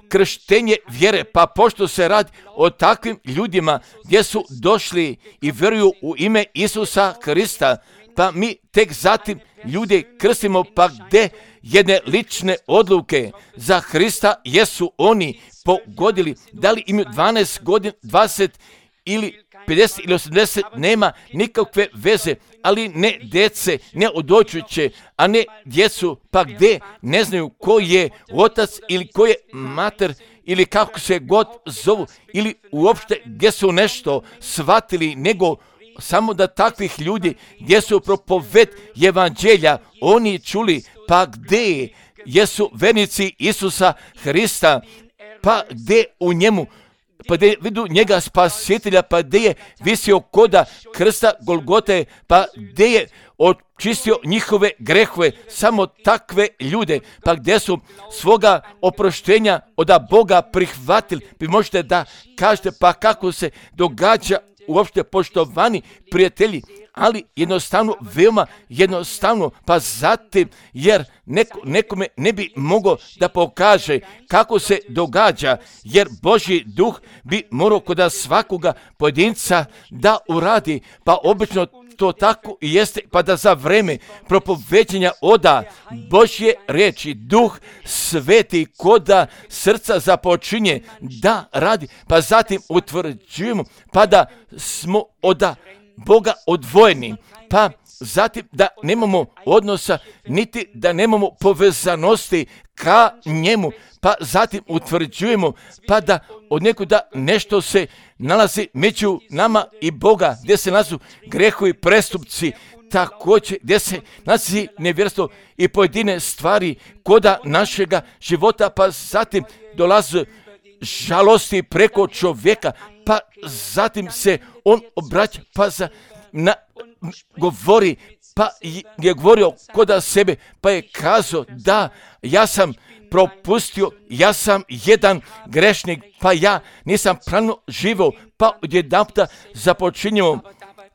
krštenje vjere, pa pošto se radi o takvim ljudima gdje su došli i vjeruju u ime Isusa Krista, pa mi tek zatim ljude krstimo, pa gdje jedne lične odluke za Krista jesu oni pogodili, da li imaju dvanaest godina, dvadeset ili pedeset ili osamdeset, nema nikakve veze, ali ne djece, ne odlučujuće, a ne djecu, pa gdje ne znaju ko je otac ili ko je mater, ili kako se god zovu, ili uopšte gdje su nešto shvatili, nego samo da takvih ljudi gdje su propoved evanđelja oni čuli, pa gdje jesu vernici Isusa Hrista, pa gdje u njemu, pa gdje vidu njega spasitelja, pa gdje je visio koda krsta Golgote, pa gdje je očistio njihove grehove, samo takve ljude, pa gdje su svoga oproštenja od Boga prihvatili. Vi možete da kažete, pa kako se događa uopšte, poštovani prijatelji, ali jednostavno, veoma jednostavno, pa zatim, jer neko, nekome ne bi mogao da pokaže kako se događa, jer Božji duh bi morao kod svakoga pojedinca da uradi, pa obično to tako i jeste, pa da za vreme propoveđenja oda Božje reči Duh Sveti koda srca započinje da radi, pa zatim utvrđujemo, pa da smo oda Boga odvojeni, pa zatim da nemamo odnosa, niti da nemamo povezanosti ka njemu, pa zatim utvrđujemo, pa da od nekuda nešto se nalazi među nama i Boga, gdje se nalazu grehovi, prestupci, također gdje se nalazi nevjerstvo i pojedine stvari koda našega života, pa zatim dolaze žalosti preko čovjeka, pa zatim se on obraća, pa za, na, govori, pa je govorio koda sebe, pa je kazao da ja sam propustio, ja sam jedan grešnik, pa ja nisam pravno živio, pa odjedanputa započinjemo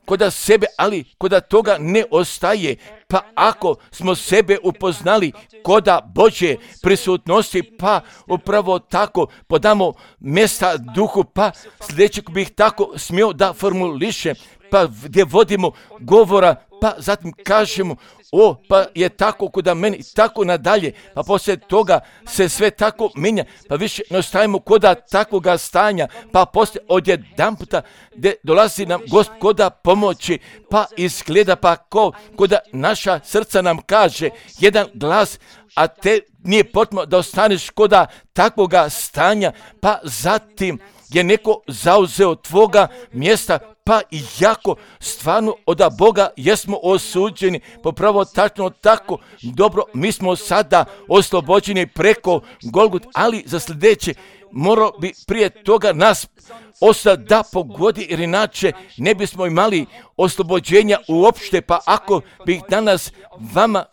koda sebe, ali koda toga ne ostaje, pa ako smo sebe upoznali koda Božje prisutnosti, pa upravo tako podamo mjesta duhu, pa sljedećeg bih tako smio da formulišem, pa gdje vodimo govora, pa zatim kažemo, o, pa je tako koda meni, tako nadalje, pa poslije toga se sve tako mijenja, pa više ne ostajemo koda takvoga stanja, pa poslije odjedanputa gdje dolazi nam Gospoda pomoći, pa izgleda pa ko, koda naša srca nam kaže jedan glas, a te nije potrebno da ostaneš koda takvoga stanja, pa zatim je neko zauzeo tvoga mjesta, pa i jako stvarno od Boga jesmo osuđeni, popravo tačno tako, dobro, mi smo sada oslobođeni preko Golgut, ali za sljedeće morao bi prije toga nas ostati da pogodi, jer inače ne bismo imali oslobođenja uopšte, pa ako bih danas vama,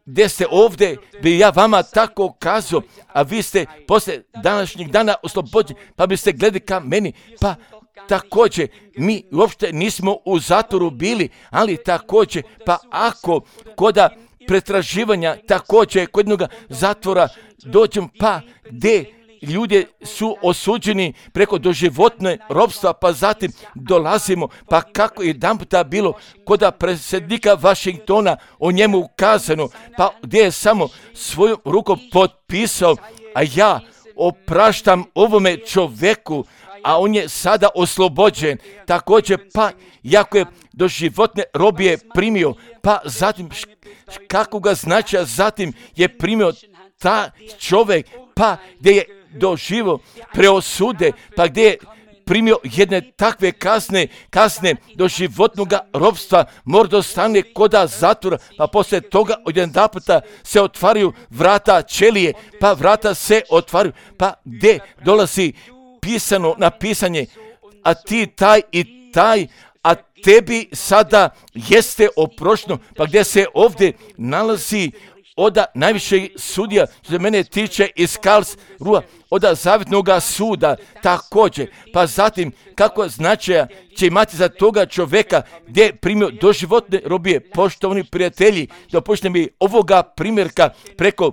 gdje ste ovdje, bi ja vama tako kazao, a vi ste poslije današnjeg dana oslobođeni, pa biste gledali ka meni, pa također mi uopšte nismo u zatvoru bili, ali također, pa ako koda pretraživanja, također kod jednog zatvora dođem, pa gdje ljudi su osuđeni preko doživotne ropstva, pa zatim dolazimo, pa kako je jedanputa bilo koda predsjednika Washingtona o njemu ukazano, pa gdje je samo svojom rukom potpisao, a ja opraštam ovome čovjeku, a on je sada oslobođen. Također, pa jako je do životne robije primio, pa zatim kako ga značaja zatim je primio ta čovjek, pa gdje je doživo preosude, pa gdje je primio jedne takve kazne, kazne do životnog robstva, mora da stane koda zatvora, pa poslije toga odjedanputa se otvaraju vrata ćelije, pa vrata se otvaraju, pa gdje dolazi pisano napisanje, a ti taj i taj, a tebi sada jeste oprošteno, pa gdje se ovdje nalazi oda najvišeg sudija, što se mene tiče iz Karlsruhe, oda zavjetnog suda, također, pa zatim kako značaja će imati za toga čovjeka gdje je primio doživotne robije. Poštovani prijatelji, dopuštajte mi ovoga primjerka preko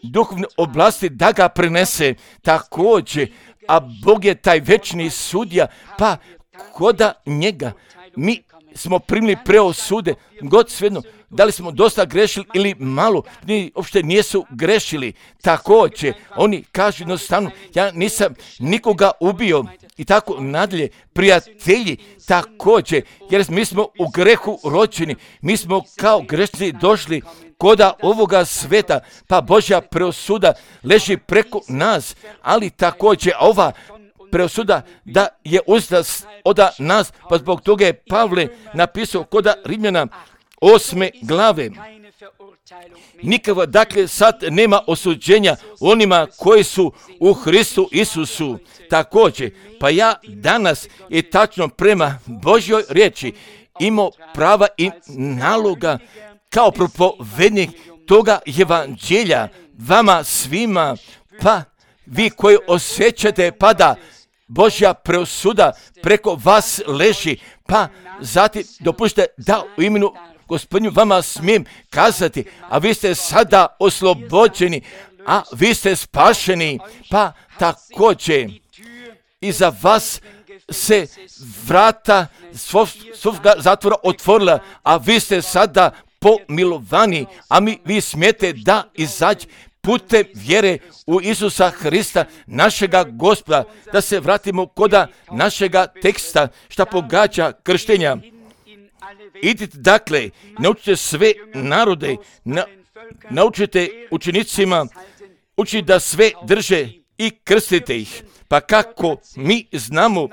duhovne oblasti da ga prenese također, a Bog je taj večni sudija, pa koda njega mi smo primili preosude, god svejedno, da li smo dosta grešili ili malo, ni uopšte nisu grešili. Također, oni kažu jednostavno, ja nisam nikoga ubio, i tako nadalje, prijatelji također, jer mi smo u grehu rođeni, mi smo kao grešnici došli koda ovoga sveta, pa Božja preosuda leži preko nas, ali također ova preosuda da je uzda od nas, pa zbog toga je Pavle napisao koda Rimljana osme glave. Nikako, dakle, sad nema osuđenja onima koji su u Hristu Isusu. Također, pa ja danas i tačno prema Božjoj riječi imao prava i naloga kao propovednik toga evanđelja vama svima, pa vi koji osjećate pa da Božja preosuda preko vas leži, pa zatim dopušte da u imenu Gospodinu vama smijem kazati, a vi ste sada oslobođeni, a vi ste spašeni, pa također i za vas se vrata svoga zatvora otvorila, a vi ste sada pomilovani, a mi vi smijete da izađe putem vjere u Isusa Hrista, našega Gospoda, da se vratimo koda našega teksta, šta pogađa krštenja. Idite dakle, naučite sve narode, na, naučite učenicima, učite da sve drže i krstite ih. Pa kako mi znamo,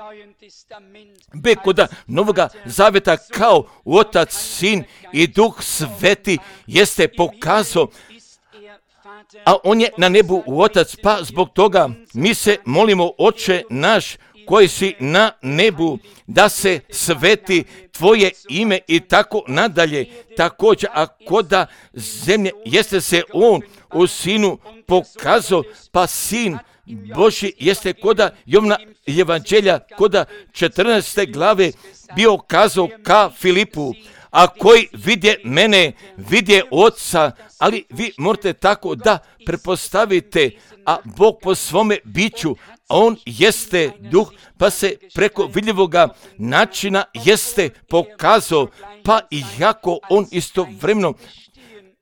be koda Novoga Zaveta kao Otac, Sin i Duh Sveti jeste pokazao, a on je na nebu Otac, pa zbog toga mi se molimo, Oče naš koji si na nebu, da se sveti tvoje ime i tako nadalje. Također, a koda zemlje jeste se on u Sinu pokazao, pa Sin Božji jeste koda Jovna evanđelja, koda četrnaeste glave bio kazao ka Filipu, a koji vidje mene, vidje Oca, ali vi morate tako da prepostavite, a Bog po svome biću, a on jeste duh, pa se preko vidljivoga načina jeste pokazao, pa i jako on istovremeno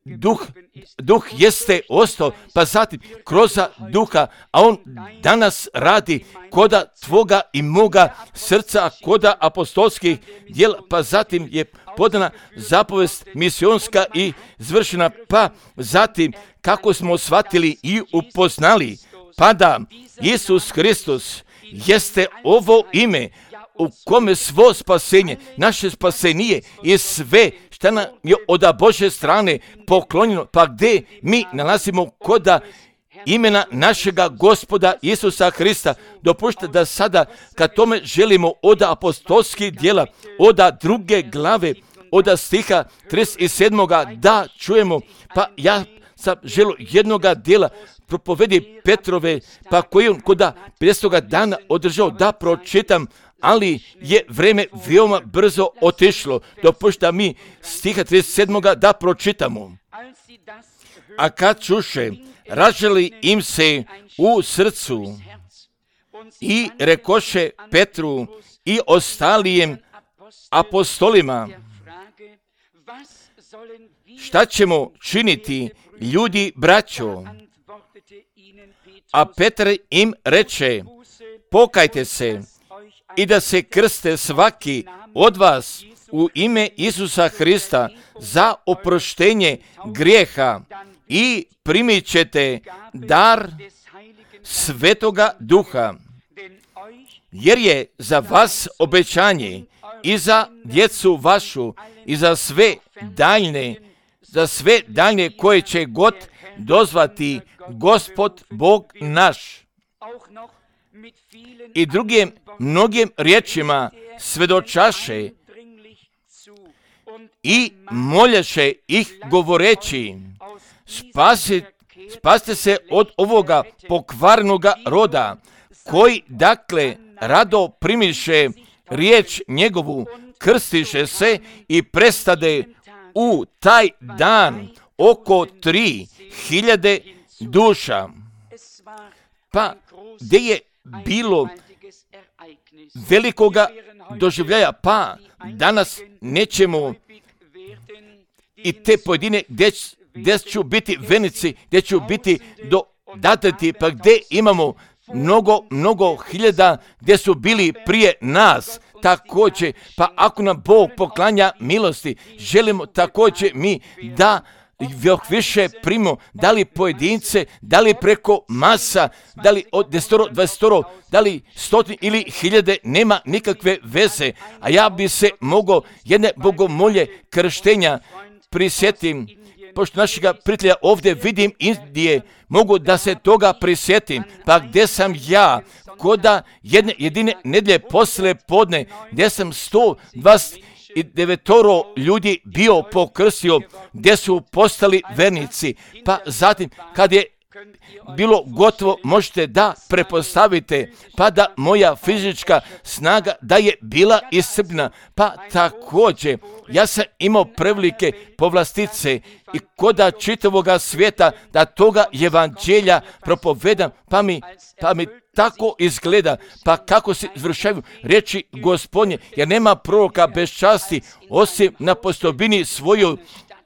duh, duh jeste ostao, pa zatim kroz duha, a on danas radi koda tvoga i moga srca, koda apostolskih djela, pa zatim je podana zapovest misionska i zvršena, pa zatim kako smo shvatili i upoznali, pa da Isus Hristos jeste ovo ime u kome svo spasenje, naše spasenije i sve šta nam je od Božje strane poklonjeno, pa gdje mi nalazimo koda imena našega Gospoda Isusa Hrista. Dopušte da sada, kad tome želimo od apostolskih djela, od druge glave, od stiha trideset sedam. da čujemo, pa ja sam želio jednoga djela propovedi Petrove, pa koji on koda pedesetog dana održao da pročitam, ali je vreme veoma brzo otišlo. Dopušta mi stiha trideset sedam. da pročitamo. A kad čuše, ražali im se u srcu i rekoše Petru i ostalijem apostolima, šta ćemo činiti, ljudi braćo? A Petar im reče, pokajte se i da se krste svaki od vas u ime Isusa Hrista za oproštenje grijeha i primit ćete dar Svetoga Duha, jer je za vas obećanje i za djecu vašu i za sve daljne, za sve daljne koje će god dozvati Gospod Bog naš. I drugim mnogim riječima svedočaše i moljaše ih govoreći, spasi, spasite se od ovoga pokvarnoga roda, koji dakle rado primiše riječ njegovu, krstiše se i prestade u taj dan oko tri hiljade duša. Pa gdje je bilo velikoga doživljaja, pa danas nećemo i te pojedine gdje, gdje ću biti venici, gdje ću biti dodatati, pa gdje imamo mnogo, mnogo hiljada gdje su bili prije nas. Također, pa ako nam Bog poklanja milosti, želimo također mi da još više primimo, da li pojedince, da li preko masa, da li od desetoro, dvadesetoro, da li stotine ili hiljade, nema nikakve veze. A ja bi se mogao jedne bogomolje krštenja prisjetim, pošto našega prijatelja ovdje vidim Indije, mogu da se toga prisjetim, pa gdje sam ja, koda jedne jedine nedjelje poslije podne, gdje sam sto dvadeset devetoro ljudi bio pokrstio, gdje su postali vernici, pa zatim kad je bilo gotovo, možete da prepostavite, pa da moja fizička snaga da je bila iscrpljena, pa također ja sam imao prevelike povlastice i koda čitavoga svijeta da toga evanđelja propovedam, pa mi, pa mi tako izgleda, pa kako se izvršaju riječi Gospodnje, jer nema proroka bez časti osim na postobini svoju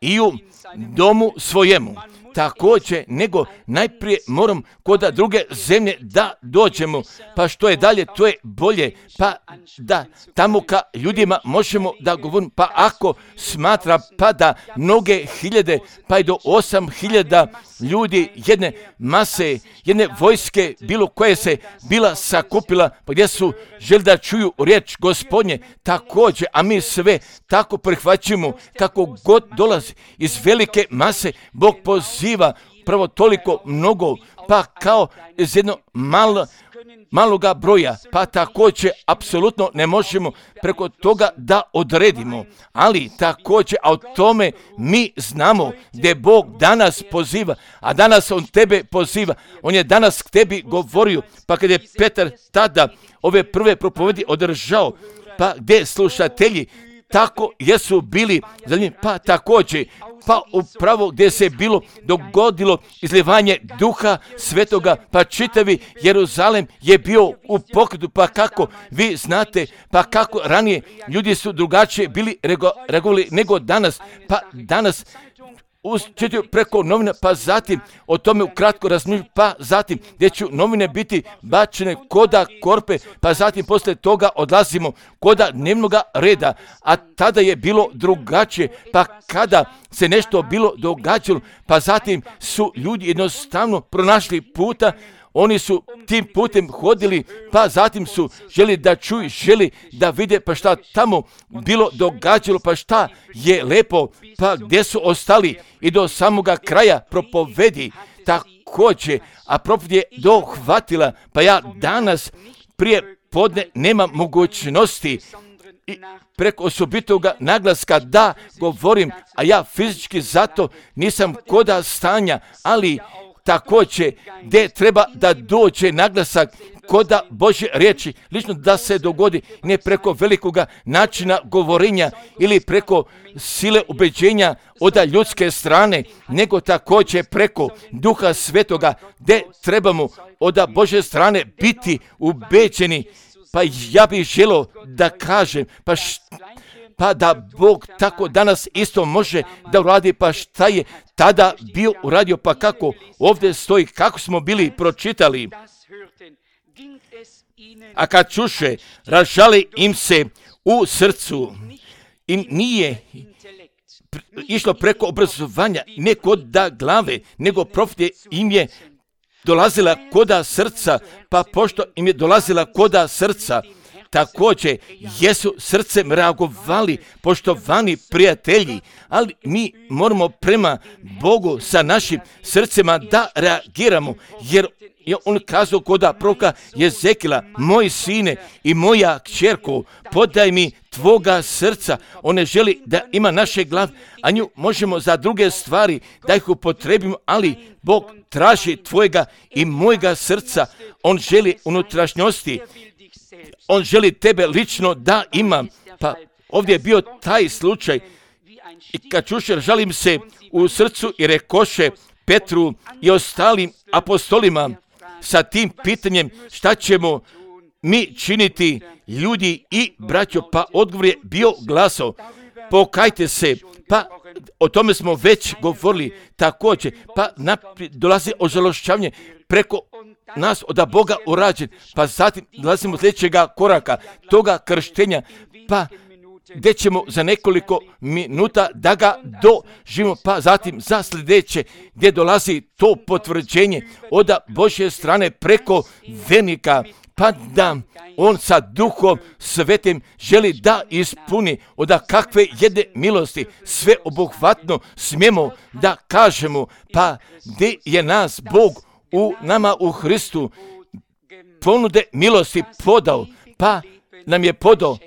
i u domu svojemu. Također, nego najprije moram kod druge zemlje da dođemo, pa što je dalje, to je bolje, pa da tamo ka ljudima možemo da govorimo, pa ako smatra pa da mnoge hiljade, pa i do osam hiljada ljudi, jedne mase, jedne vojske, bilo koje se bila sakupila, pa gdje su želi da čuju riječ Gospodnje, također, a mi sve tako prihvaćamo, kako god dolazi iz velike mase, Bog poziva prvo toliko mnogo, pa kao iz jednog malo, maloga broja, pa također apsolutno ne možemo preko toga da odredimo, ali također, a o tome mi znamo gdje Bog danas poziva, a danas On tebe poziva, On je danas k tebi govorio, pa kad je Petar tada ove prve propovedi održao, pa gdje slušatelji tako jesu bili zanimljivi, pa također, pa upravo gdje se bilo dogodilo izljevanje Duha Svetoga, pa čitavi Jeruzalem je bio u pokretu, pa kako vi znate, pa kako ranije ljudi su drugačije bili reagovali nego danas, pa danas čitaju preko novina, pa zatim o tome ukratko razmišljaju, pa zatim gdje će novine biti bačene koda korpe, pa zatim poslije toga odlazimo koda dnevnoga reda, a tada je bilo drugačije, pa kada se nešto bilo događalo, pa zatim su ljudi jednostavno pronašli puta, oni su tim putem hodili, pa zatim su želi da čuju, želi da vide, pa šta tamo bilo događalo, pa šta je lepo, pa gdje su ostali i do samoga kraja propovedi također, a propoved je dohvatila, pa ja danas prije podne nemam mogućnosti i preko osobitoga naglaska da govorim, a ja fizički zato nisam koda stanja, ali također gdje treba da dođe naglasak koda Božje riječi, lično da se dogodi ne preko velikoga načina govorenja ili preko sile ubeđenja od ljudske strane, nego također preko Duha Svetoga, gdje trebamo od Božje strane biti ubeđeni. Pa ja bih želio da kažem, pa šta, pa da Bog tako danas isto može da uradi, pa šta je tada bio uradio, pa kako ovdje stoji, kako smo bili pročitali. A kad čuše, ražali im se u srcu i nije išlo preko obrazovanja, ne kod da glave, nego profet im je dolazila koda srca, pa pošto im je dolazila koda srca, također jesu srcem reagovali poštovani prijatelji, ali mi moramo prema Bogu sa našim srcima da reagiramo, jer je on kazao koda proroka Jezekila, moj sine i moja kćerko, podaj mi tvoga srca. On ne želi da ima naše glave, a nju možemo za druge stvari da ih upotrebimo, ali Bog traži tvojega i mojega srca. On želi unutrašnjosti. On želi tebe lično da ima. Pa ovdje je bio taj slučaj. I kad čuše, žalim se u srcu i rekoše Petru i ostalim apostolima sa tim pitanjem šta ćemo mi činiti, ljudi i braćo, pa odgovor je bio glasao, pokajte se, pa o tome smo već govorili također, pa naprijed dolazi ožalošćavanje preko nas od Boga urađen, pa zatim dolazimo do sljedećega koraka, toga krštenja, pa gdje ćemo za nekoliko minuta da ga doživimo, pa zatim za sljedeće gdje dolazi to potvrđenje od Božje strane preko vernika, pa da on sa Duhom Svetim želi da ispuni od kakve jedne milosti sve obuhvatno smijemo da kažemo, pa gdje je nas Bog u nama u Hristu ponude milosti podao, pa nam je podao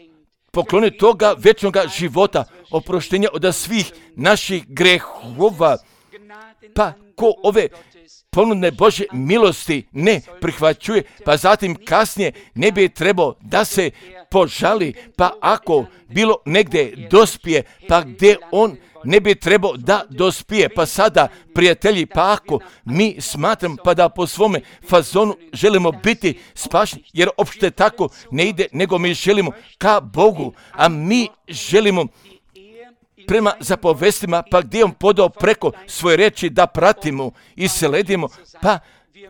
pokloni toga večnoga života, oproštenja od svih naših grehova, pa ko ove ponude Božje milosti ne prihvaćuje, pa zatim kasnije ne bi trebao da se požali, pa ako bilo negdje dospije, pa gdje on ne bi trebao da dospije, pa sada prijatelji, pa ako mi smatram pa da po svome fazonu želimo biti spašeni, jer opšte tako ne ide, nego mi želimo ka Bogu, a mi želimo prema zapovestima, pa gdje on podao preko svoje reči da pratimo i sledimo, pa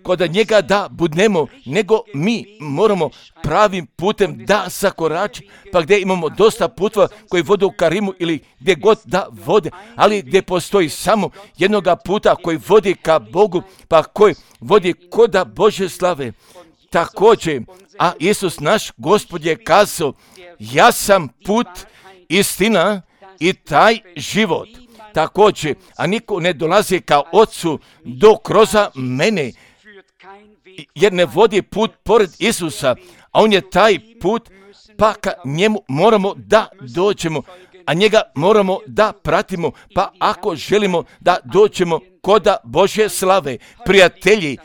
kod njega da budnemo, nego mi moramo pravim putem da zakorači, pa gdje imamo dosta putova koji vode u Karimu ili gdje god da vode, ali gdje postoji samo jednoga puta koji vodi ka Bogu, pa koji vodi koda Božje slave. Također, a Isus naš Gospod je kazao, ja sam put, istina i taj život. Također, a niko ne dolazi ka Ocu do kroz mene, jer ne vodi put pored Isusa, a on je taj put, pa ka njemu moramo da dođemo, a njega moramo da pratimo, pa ako želimo da dođemo koda Božje slave, prijatelji,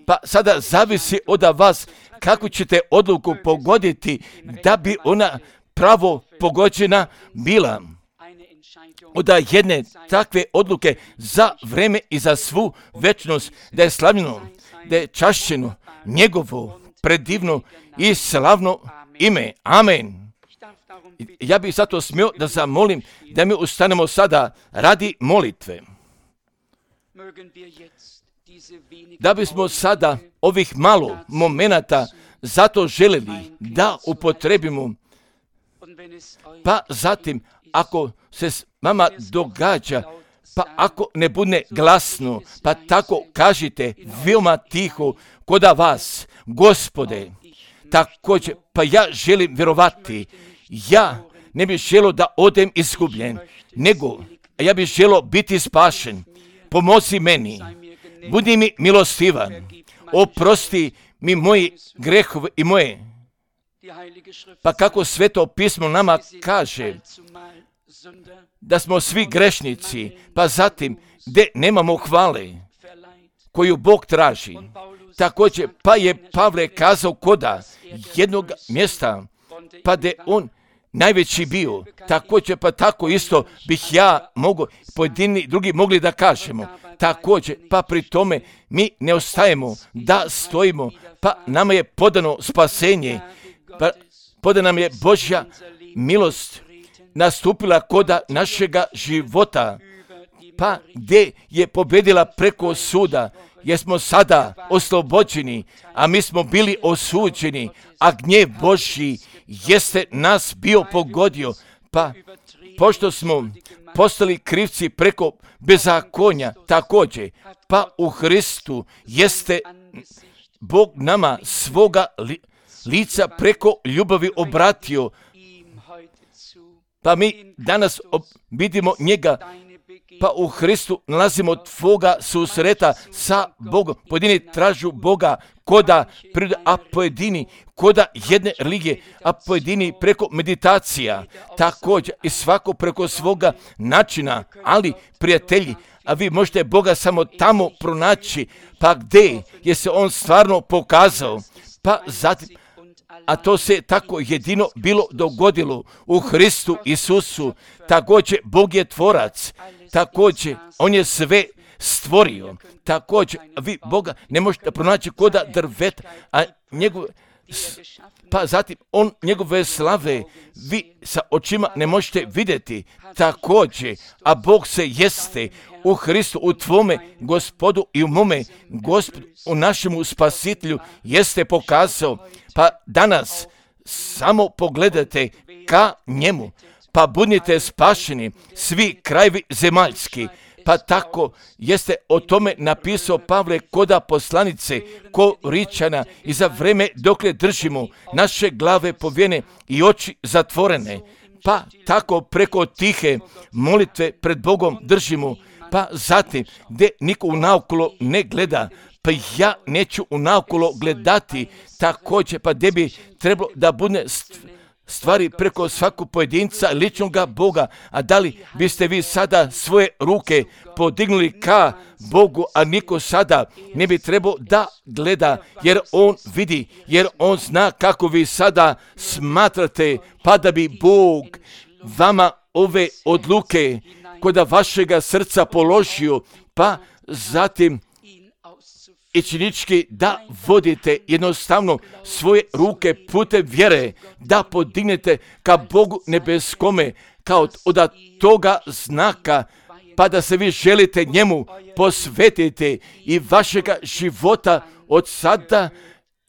pa sada zavisi od vas kako ćete odluku pogoditi da bi ona pravo pogođena bila. Od jedne takve odluke za vreme i za svu večnost, da je slavljeno, da je čašćeno njegovo predivno i slavno ime. Amen. Ja bih zato smio da zamolim da mi ustanemo sada radi molitve. Da bismo sada ovih malo momenata zato želeli da upotrebimo, pa zatim ako se s vama događa, pa ako ne bude glasno, pa tako kažite veoma tiho koda vas, Gospode, također, pa ja želim vjerovati, ja ne bih želio da odem izgubljen, nego ja bih želio biti spašen. Pomozi meni, budi mi milostivan, oprosti mi moji grehove i moje. Pa kako Sveto pismo nama kaže da smo svi grešnici, pa zatim gdje nemamo hvale koju Bog traži. Također, pa je Pavle kazao koda jednog mjesta, pa gdje on najveći bio, također pa tako isto bih ja mogu, pojedini drugi mogli da kažemo. Također, pa pri tome mi ne ostajemo da stojimo, pa nama je podano spasenje, pa podana nam je Božja milost nastupila koda našega života, pa gdje je pobjedila preko suda, jer smo sada oslobođeni, a mi smo bili osuđeni, a gnjev Božji jeste nas bio pogodio, pa pošto smo postali krivci preko bezakonja, također, pa u Hristu jeste Bog nama svoga li, lica preko ljubavi obratio, pa mi danas vidimo njega, pa u Hristu nalazimo tvoga susreta sa Bogom. Pojedini tražu Boga koda prirode, a pojedini koda jedne religije, a pojedini preko meditacija, također i svako preko svoga načina, ali prijatelji, a vi možete Boga samo tamo pronaći, pa gdje je se on stvarno pokazao, pa zatim, a to se tako jedino bilo dogodilo u Hristu Isusu. Također Bog je tvorac, također on je sve stvorio, također vi Boga ne možete pronaći koda drveta, a njegov pa zatim on njegove slave vi sa očima ne možete vidjeti također, a Bog se jeste u Hristu, u tvome Gospodu i u mome Gospodu, u našemu Spasitelju jeste pokazao. Pa danas samo pogledajte ka njemu, pa budite spašeni svi krajevi zemaljski. Pa tako jeste o tome napisao Pavle koda poslanice Koričana i za vreme dokle držimo naše glave povijene i oči zatvorene. Pa tako preko tihe molitve pred Bogom držimo, pa zatim gdje niko unaokolo ne gleda, pa ja neću unaokolo gledati također, pa gdje bi trebalo da bude stvari preko svakog pojedinca ličnoga Boga. A da li biste vi sada svoje ruke podignuli ka Bogu, a niko sada ne bi trebao da gleda, jer on vidi, jer on zna kako vi sada smatrate, pa da bi Bog vama ove odluke kod vašega srca položio, pa zatim i činički da vodite jednostavno svoje ruke putem vjere, da podignete ka Bogu nebeskome, kao od toga znaka, pa da se vi želite njemu posvetiti i vašega života od sada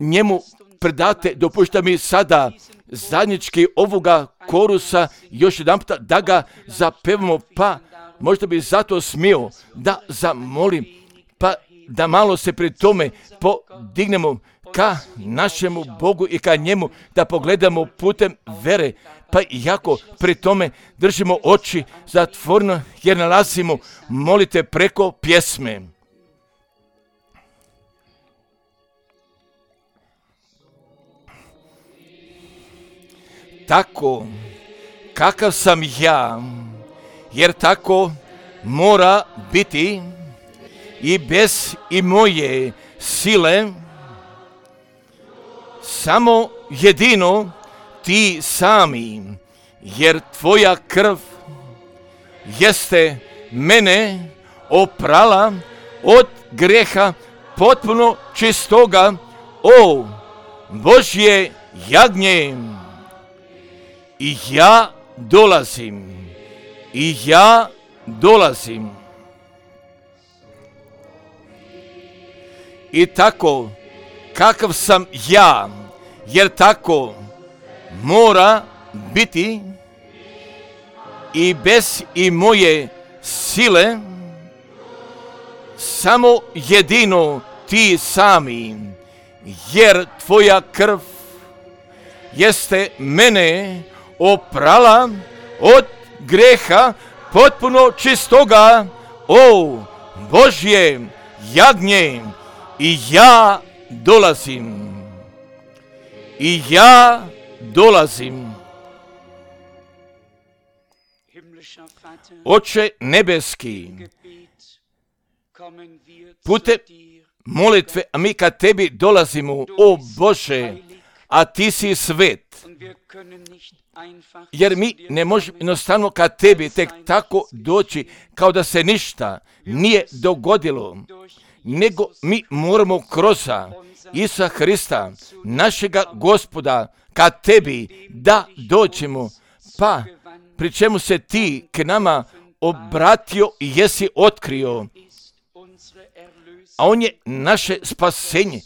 njemu predate. Dopušta mi sada zajednički ovoga korusa još jedan puta da ga zapevamo, pa možda bi zato smio da zamolim, pa da malo se pri tome podignemo ka našemu Bogu i ka njemu, da pogledamo putem vere, pa iako pri tome držimo oči zatvoreno jer nalazimo molite preko pjesme. Tako kakav sam ja, jer tako mora biti i bez i moje sile, samo jedino ti sami, jer tvoja krv jeste mene oprala od greha potpuno čistoga, o Božje jagnje. I ja dolazim, i ja dolazim. I tako, kakav sam ja, jer tako mora biti i bez i moje sile, samo jedino ti sami, jer tvoja krv jeste mene oprala od greha potpuno čistoga, o Božje jagnje. I ja dolazim, i ja dolazim. Oče nebeski, putem molitve, a mi ka tebi dolazimo, o Bože, a ti si svet. Jer mi ne možemo jednostavno ka tebi tek tako doći kao da se ništa nije dogodilo, nego mi moramo kroz Isusa Hrista, našega Gospoda, ka tebi da dođemo, pa pri čemu se ti k nama obratio i jesi otkrio, a on je naše spasenje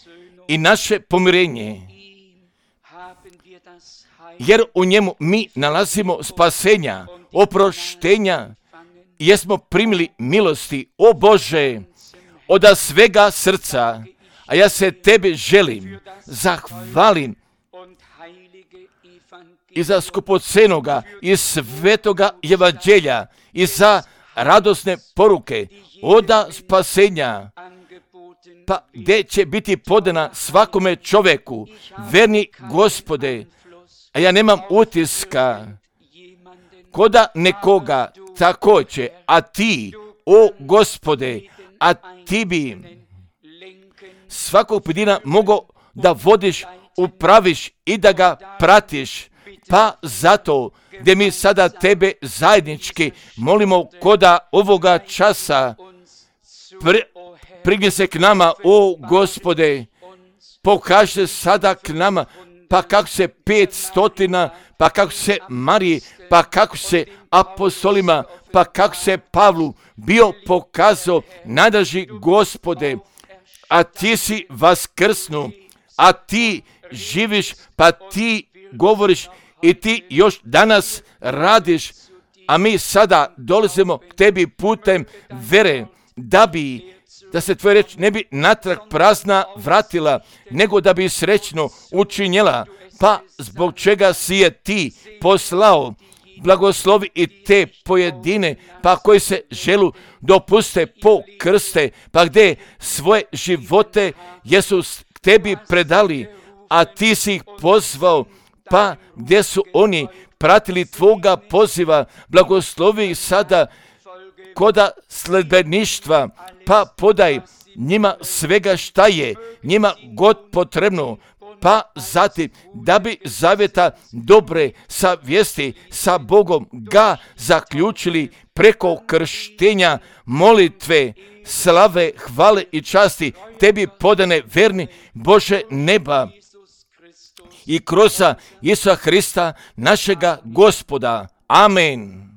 i naše pomirenje, jer u njemu mi nalazimo spasenja, oproštenja, i jesmo primili milosti, o Bože, od svega srca, a ja se tebi želim, zahvalim i za skupocenoga i svetoga evanđelja i za radosne poruke oda spasenja, pa gdje će biti podana svakome čoveku, verni Gospode, a ja nemam utiska koda nekoga također, a ti, o Gospode, a ti bi svakog pojedina mogao da vodiš, upraviš i da ga pratiš, pa zato gdje mi sada tebe zajednički molimo koda ovoga časa, pri, prignje se k nama, o Gospode, pokaže sada k nama, pa kako se pet stotina, pa kako se Mariji, pa kako se apostolima, pa kako se Pavlu bio pokazao, nadaži Gospode, a ti si vaskrsnu, a ti živiš, pa ti govoriš i ti još danas radiš, a mi sada dolazimo k tebi putem vere, da bi, da se tvoja reč ne bi natrag prazna vratila, nego da bi srećno učinjela, pa zbog čega si je ti poslao, blagoslovi i te pojedine, pa koji se želu dopuste po krste, pa gdje svoje živote jesu k tebi predali, a ti si ih pozvao, pa gdje su oni pratili tvoga poziva, blagoslovi ih sada koda sledbeništva, pa podaj njima svega šta je njima god potrebno, pa zatim da bi zavjeta dobre sa vijesti sa Bogom ga zaključili preko krštenja, molitve, slave, hvale i časti tebi podane verni Bože neba i kroz Isusa Hrista našega Gospoda. Amen.